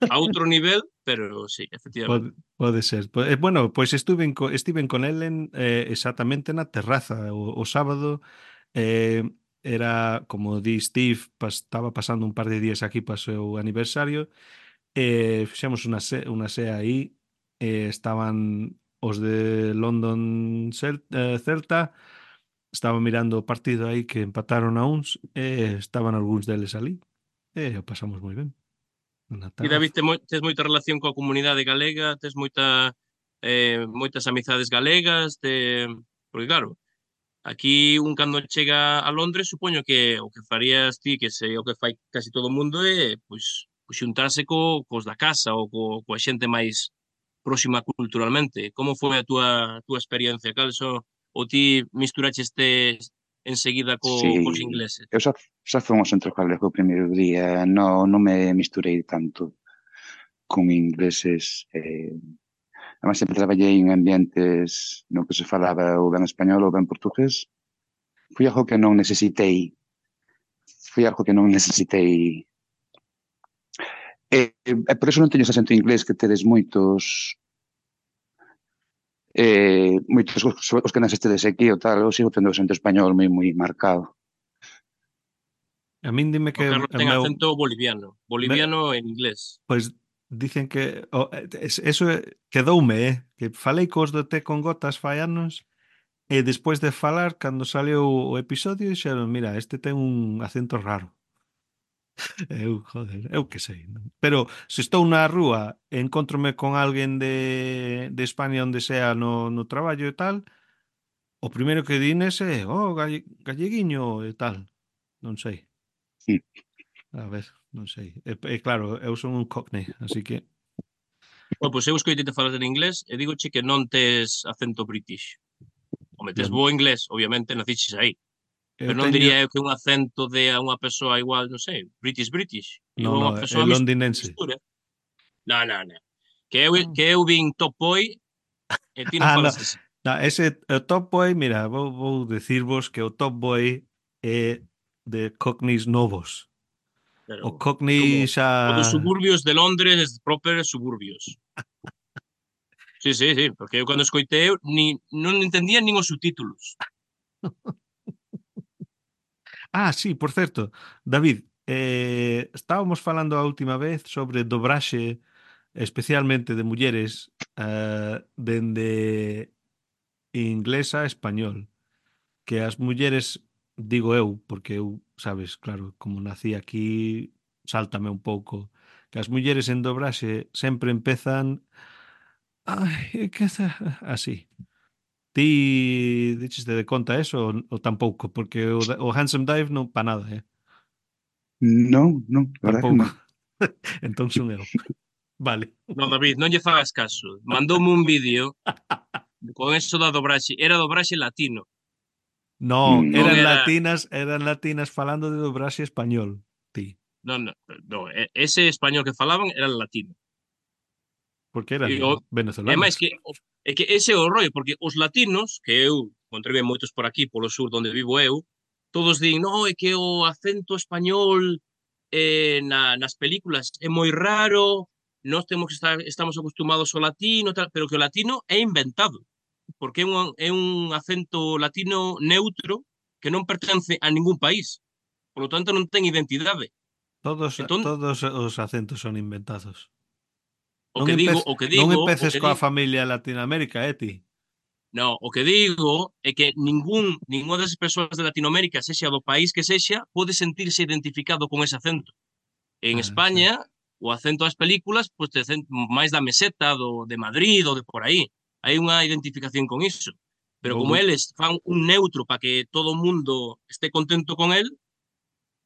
Speaker 3: A outro nivel, pero sí, efectivamente.
Speaker 1: Pode, pode ser. Po- eh, Bueno, pois estuve co, estiven con Ellen eh, exactamente na terraza o, o sábado. Eh, era, como di Steve, pas, estaba pasando un par de días aquí para o seu aniversario. Eh, fixemos unha, se, unha sea aí. Eh, estaban os de London Cel, eh, Celta. Estaba mirando o partido aí que empataron a uns. E estaban algúns deles ali. E o pasamos moi ben. Na
Speaker 3: E David,
Speaker 1: terraza.
Speaker 3: te moi, tes moita relación coa comunidade galega, tes moita, eh, moitas amizades galegas, te... porque claro, aquí un cando chega a Londres, supoño que o que farías ti, que sei o que fai casi todo o mundo, é pois, pois xuntarse co, cos da casa ou co, coa xente máis próxima culturalmente. Como foi a túa, a túa experiencia? Cal so, ou ti misturaches este enseguida co, cos
Speaker 2: Sí.
Speaker 3: ingleses?
Speaker 2: Eu xa, xa fomos entre galego o primeiro día. No, non me misturei tanto con ingleses. Eh, además, sempre traballei en ambientes no que se falaba ou ben español ou ben portugués. Foi algo que non necesitei. Foi algo que non necesitei. E, e por eso non teño ese acento inglés que tedes moitos eh, moitos os, os que nascestedes aquí ou tal. Eu sigo tendo o acento español moi moi marcado.
Speaker 1: A min dime
Speaker 3: O
Speaker 1: que
Speaker 3: Carlos
Speaker 1: o
Speaker 3: ten
Speaker 1: meu...
Speaker 3: acento boliviano.
Speaker 1: me,
Speaker 3: Boliviano en inglés.
Speaker 1: Pois dicen que o, es- eso é- quedoume, eh, que falei cos do té con gotas fai anos e despois de falar, cando saliu o episodio, dixeron, mira, este ten un acento raro. Eu, joder, eu que sei. Non? Pero se estou na rúa e encontrome con alguén de, de España onde sea no, no traballo e tal, o primeiro que dines é, oh, galle, galleguiño e tal. Non sei.
Speaker 2: Sí.
Speaker 1: A ver, non sei. E, e claro, eu son un cockney, así que
Speaker 3: Bueno, pois eu escoitei te falar en inglés e digoche que non tes acento british. Home, tes
Speaker 1: eu,
Speaker 3: bo inglés, obviamente, naciches aí.
Speaker 1: eu
Speaker 3: Pero non
Speaker 1: teño...
Speaker 3: diría eu que un acento de a unha persoa igual, non sei, British British.
Speaker 1: No,
Speaker 3: Igual
Speaker 1: no,
Speaker 3: unha
Speaker 1: é
Speaker 3: persoa mis-
Speaker 1: londinense.
Speaker 3: mistura. Non, non, non. Que eu,
Speaker 1: Ah,
Speaker 3: que eu vin Top Boy e ti non
Speaker 1: ah no,
Speaker 3: falas así.
Speaker 1: no, ese o Top Boy, mira, vou, vou decirvos que o Top Boy é de cockneys novos.
Speaker 3: Pero
Speaker 1: O
Speaker 3: é como
Speaker 1: cockney xa...
Speaker 3: o dos suburbios de Londres, proper suburbios. Sí, sí, sí, porque eu cando escoitei ni, non entendía nin os subtítulos.
Speaker 1: Ah, sí, por certo, David, eh, estábamos falando a última vez sobre dobraxe, especialmente de mulleres, eh, dende inglés a español. Que as mulleres, digo eu, porque eu, sabes, claro, como nací aquí, sáltame un pouco que as mulleres en dobraxe sempre empezan ai, que za- así. Ti dicheste de conta eso ou, ou tampouco? Porque o, da- o Handsome Dive non pa nada, eh?
Speaker 2: Non, non, a verdade que
Speaker 1: Tampouco.
Speaker 2: non.
Speaker 1: Entón son eu. Vale.
Speaker 3: Non, David, non lle fagas caso. Mandoume un vídeo con eso da dobraxe. Era dobraxe latino.
Speaker 1: Non,
Speaker 2: Mm,
Speaker 3: Non
Speaker 1: eran
Speaker 3: era...
Speaker 1: latinas, eran latinas falando de dobraxe español, ti.
Speaker 3: Non, non, non. e- Ese español que falaban era latino.
Speaker 1: Porque
Speaker 3: E,
Speaker 1: eran
Speaker 3: o, é
Speaker 1: venezolanas.
Speaker 3: máis que... o- É que ese é o rollo, porque os latinos, que eu encontrei moitos por aquí, polo sur onde vivo eu, todos din, no, é que o acento español eh, na, nas películas é moi raro, nós temos que estar, estamos acostumados ao latino, tal, pero que o latino é inventado, porque é un, é un acento latino neutro que non pertence a ningún país, polo tanto non ten identidade.
Speaker 1: Todos,
Speaker 3: Entón,
Speaker 1: todos os acentos son inventados.
Speaker 3: o
Speaker 1: Non,
Speaker 3: que digo,
Speaker 1: empez,
Speaker 3: o que
Speaker 1: non
Speaker 3: digo, o
Speaker 1: empeces
Speaker 3: que
Speaker 1: coa
Speaker 3: digo,
Speaker 1: familia Latinoamérica, eh, ti?
Speaker 3: no, o que digo é que ningún, ninguna das persoas de Latinoamérica, sexa do país que sexa, pode sentirse identificado con ese acento. En
Speaker 1: Ah, xa.
Speaker 3: España, o acento das películas, pois te cen- máis da meseta, do, de Madrid ou de por aí. Hai unha identificación con iso. Pero
Speaker 1: Vou,
Speaker 3: como
Speaker 1: bu-
Speaker 3: eles fan un neutro para que todo o mundo este contento con el,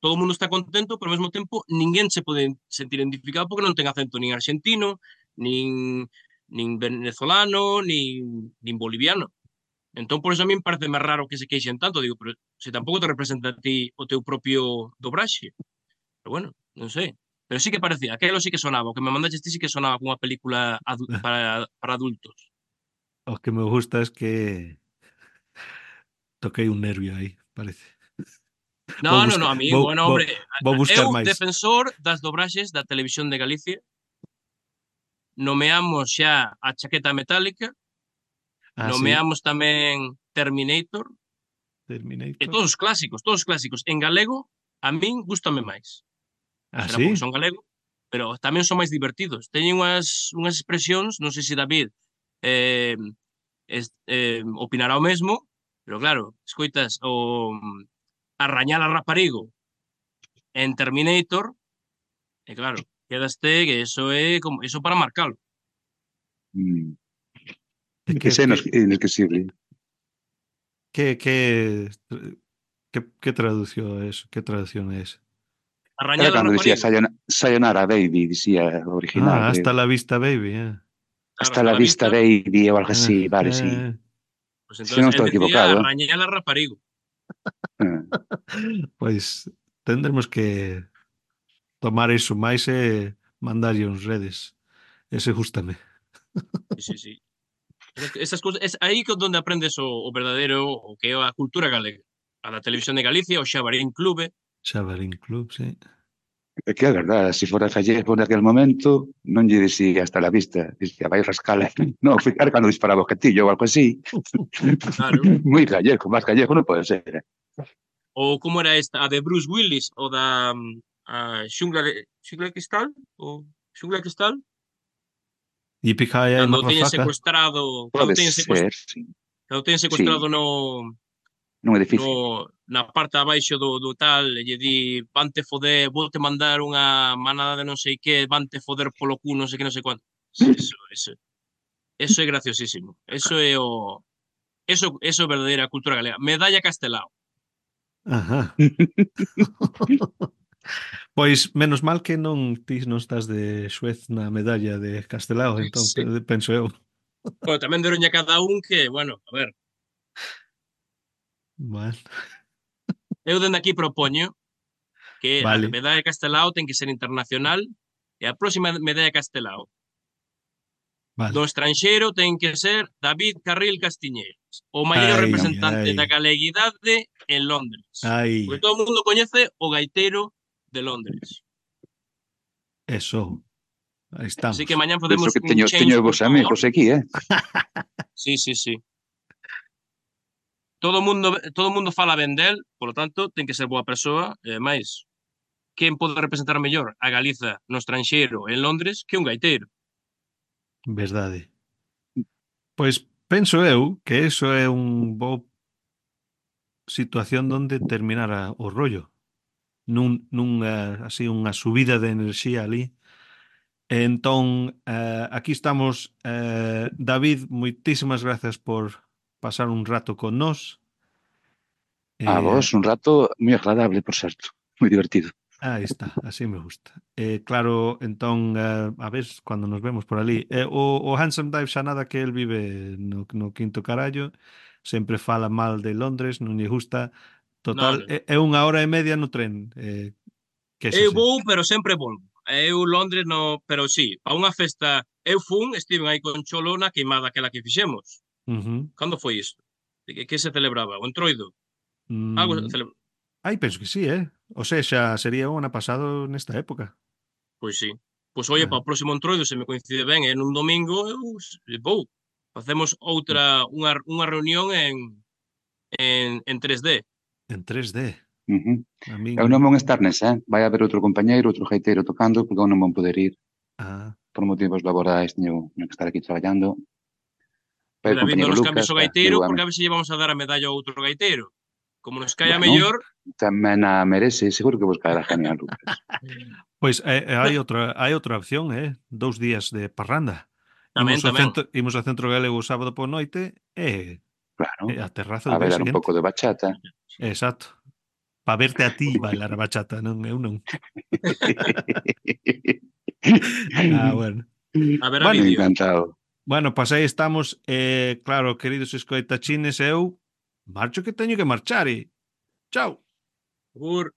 Speaker 3: todo o mundo está contento, pero ao mesmo tempo ninguén se pode sentir identificado porque non ten acento nin argentino, nin, nin venezolano, nin, nin boliviano. Entón, por eso a mí me parece máis raro que se queixen tanto. Digo, pero se tampouco te representa a ti o teu propio dobraxe. Pero bueno, non sei. Pero sí que parecía, aquelo sí que sonaba, o que me mandaste ti sí que sonaba como unha película adu para, para adultos.
Speaker 1: o que me gusta es que toquei un nervio aí, parece. Vou
Speaker 3: No, no, no,
Speaker 1: buscar,
Speaker 3: a mí,
Speaker 1: vou,
Speaker 3: bueno,
Speaker 1: vou,
Speaker 3: hombre,
Speaker 1: vou buscar
Speaker 3: eu
Speaker 1: máis.
Speaker 3: defensor das dobraxes da Televisión de Galicia, nomeamos xa a Chaqueta Metálica,
Speaker 1: Ah, sí,
Speaker 3: nomeamos tamén Terminator, e
Speaker 1: Terminator.
Speaker 3: todos os clásicos, todos os clásicos. En galego, a min gustame máis.
Speaker 1: Ah,
Speaker 3: Será porque
Speaker 1: sí?
Speaker 3: son galego, pero tamén son máis divertidos. Teñen unhas, unhas expresións, non sei se David eh, es, eh, opinará o mesmo, pero claro, escoitas o Arrañar a Raparigo en Terminator, e claro, quedaste que eso é como eso para marcalo.
Speaker 2: mm.
Speaker 1: E que,
Speaker 2: Ese é
Speaker 1: que,
Speaker 2: inos- inesquecible.
Speaker 1: que, que, que, que traducción é eso? Que traducción é esa?
Speaker 3: Arrañar
Speaker 2: Era
Speaker 3: a
Speaker 2: cando dicía
Speaker 3: Raparigo,
Speaker 2: Sayona- Sayonara Baby, dicía o original,
Speaker 1: Ah, hasta
Speaker 2: creo.
Speaker 1: la vista, baby. Eh.
Speaker 3: claro,
Speaker 2: Hasta
Speaker 3: hasta
Speaker 2: la
Speaker 3: la
Speaker 2: vista
Speaker 3: vista,
Speaker 2: baby ou algo
Speaker 1: Ah,
Speaker 2: así, vale, sí.
Speaker 1: eh.
Speaker 3: pues
Speaker 2: Se non
Speaker 3: entonces él
Speaker 2: estou
Speaker 3: decía
Speaker 2: equivocado.
Speaker 3: Arrañar a Raparigo.
Speaker 2: Ah,
Speaker 1: Pois tendremos que tomar iso máis e mandarlle uns redes. Ese gústame.
Speaker 3: Sí, sí, sí. Esas, esas cosas, es aí que donde aprendes o, o verdadeiro, o que é a cultura galega. A da Televisión de Galicia, o Xabarín Clube,
Speaker 1: Xabarín Club, sí.
Speaker 2: é que é verdade, se fora gallego naquel momento, non lle dicía hasta la vista, dicía vai rascala. Non, ficar cando disparaba o gatillo ou algo así.
Speaker 3: claro.
Speaker 2: Moi gallego, máis gallego non pode ser. Eh?
Speaker 3: Ou como era esta, a de Bruce Willis, o da mm, a Xungla de Xungla de Cristal, o Xungla de Cristal,
Speaker 1: Yippee-ki-yay,
Speaker 3: cando teñen
Speaker 1: motherfucker.
Speaker 3: secuestrado, cando
Speaker 2: Pode
Speaker 3: teñen secuestrado,
Speaker 2: ser, sí.
Speaker 3: cando teñen secuestrado
Speaker 2: Sí,
Speaker 3: no
Speaker 2: nun
Speaker 3: no
Speaker 2: edificio.
Speaker 3: na parte abaixo do, do tal, e lle di, vante foder, volte mandar unha manada de non sei que, vante foder polo cu, non sei que, non sei cuánto. Eso, eso, eso é graciosísimo. Eso é o eso, eso é verdadeira cultura galega. Medalla Castelao.
Speaker 1: Ajá. Pois menos mal que non ti non estás de xuez na medalla de Castelao, entón
Speaker 3: Sí.
Speaker 1: pe- penso eu.
Speaker 3: Bueno, tamén deron a cada un que, bueno, a ver,
Speaker 1: Bueno,
Speaker 3: eu dende aquí propoño que a
Speaker 1: vale,
Speaker 3: medalla Castelao ten que ser internacional e a próxima medalla Castelao do
Speaker 1: vale.
Speaker 3: estranxeiro ten que ser David Carril Castiñeiras, o maior
Speaker 1: Ai,
Speaker 3: representante
Speaker 1: ai,
Speaker 3: da galeguidade en Londres. Porque
Speaker 1: ai,
Speaker 3: todo o mundo coñece o gaiteiro de Londres.
Speaker 1: eso. Aí
Speaker 3: Así
Speaker 1: estamos.
Speaker 3: que mañán
Speaker 2: Penso
Speaker 3: podemos
Speaker 2: que
Speaker 3: un
Speaker 2: teño,
Speaker 3: change
Speaker 2: teño
Speaker 3: punto
Speaker 2: vos amigos
Speaker 3: org.
Speaker 2: aquí, eh?
Speaker 3: Sí, sí, sí. Todo o mundo todo o mundo fala ben del, polo tanto, ten que ser boa persoa, e máis, quen pode representar mellor a Galiza no estranxeiro en Londres que un gaiteiro?
Speaker 1: Verdade. Pois penso eu que eso é un bo situación donde terminara o rollo. Nun, nunha, así, unha subida de enerxía ali Entón, eh, aquí estamos. Eh, David, moitísimas gracias por pasar un rato con nós.
Speaker 2: A
Speaker 1: Eh,
Speaker 2: vos, un rato moi agradable, por certo. Moi divertido.
Speaker 1: Aí está, así me gusta. Eh, claro, entón, eh, a ver, cando nos vemos por ali. Eh, o, o Handsome Dive xa nada que el vive no, no quinto carallo, sempre fala mal de Londres, non lle gusta.
Speaker 3: Non,
Speaker 1: Total,
Speaker 3: non.
Speaker 1: é, é unha hora e media no tren, eh,
Speaker 3: Eu
Speaker 1: quéxase.
Speaker 3: vou, pero sempre volvo. Eu Londres no, pero sí, a unha festa, eu fun, estiven aí con Cholo na queimada aquela que fixemos.
Speaker 1: Ujú.
Speaker 3: Cando foi isto? De que, que se celebraba? O Entroido? Algo
Speaker 1: Mm,
Speaker 3: cele...
Speaker 1: Ai, penso que sí, eh? O sea, xa sería o ano pasado nesta época.
Speaker 3: Pois sí. Pois oye,
Speaker 1: Ah,
Speaker 3: para o próximo Entroido, se me coincide ben, é nun domingo, eu s- vou. Facemos outra, unha, unha reunión en, en, en tres D.
Speaker 1: en tres D.
Speaker 2: Uh-huh.
Speaker 1: A min...
Speaker 2: Eu non vou estar nesa, eh? Vai haber outro compañeiro, outro gaiteiro tocando, porque eu non vou poder ir
Speaker 1: Ah,
Speaker 2: por motivos laborais, teño, teño que estar aquí traballando. Vai
Speaker 3: Pois
Speaker 2: o
Speaker 3: David, non
Speaker 2: compañeiro
Speaker 3: nos
Speaker 2: Lucas,
Speaker 3: cambies o
Speaker 2: que
Speaker 3: gaiteiro,
Speaker 2: digo, a
Speaker 3: porque a ver se lle vamos a dar a medalla a outro gaiteiro. Como nos caia
Speaker 2: bueno,
Speaker 3: mellor,
Speaker 2: tamén a merece, seguro que buscar a genial Lucas.
Speaker 1: pois eh, eh, hai outra hai outra opción, eh? Dous días de parranda.
Speaker 3: tamén,
Speaker 1: Imos ao
Speaker 3: tamén.
Speaker 1: centro, imos ao centro galego o sábado por noite e,
Speaker 2: Claro,
Speaker 1: e a terraza
Speaker 2: a
Speaker 1: o día
Speaker 2: bailar un
Speaker 1: seguinte.
Speaker 2: pouco de bachata.
Speaker 1: Exacto. Pa verte a ti bailar a bachata, non eu non. Ah, bueno.
Speaker 3: A ver a
Speaker 1: Bueno,
Speaker 3: vídeo.
Speaker 2: Encantado.
Speaker 1: bueno, pois aí estamos. Eh, claro, queridos escoitachines, eu marcho que teño que marchar e chao.
Speaker 3: Agur.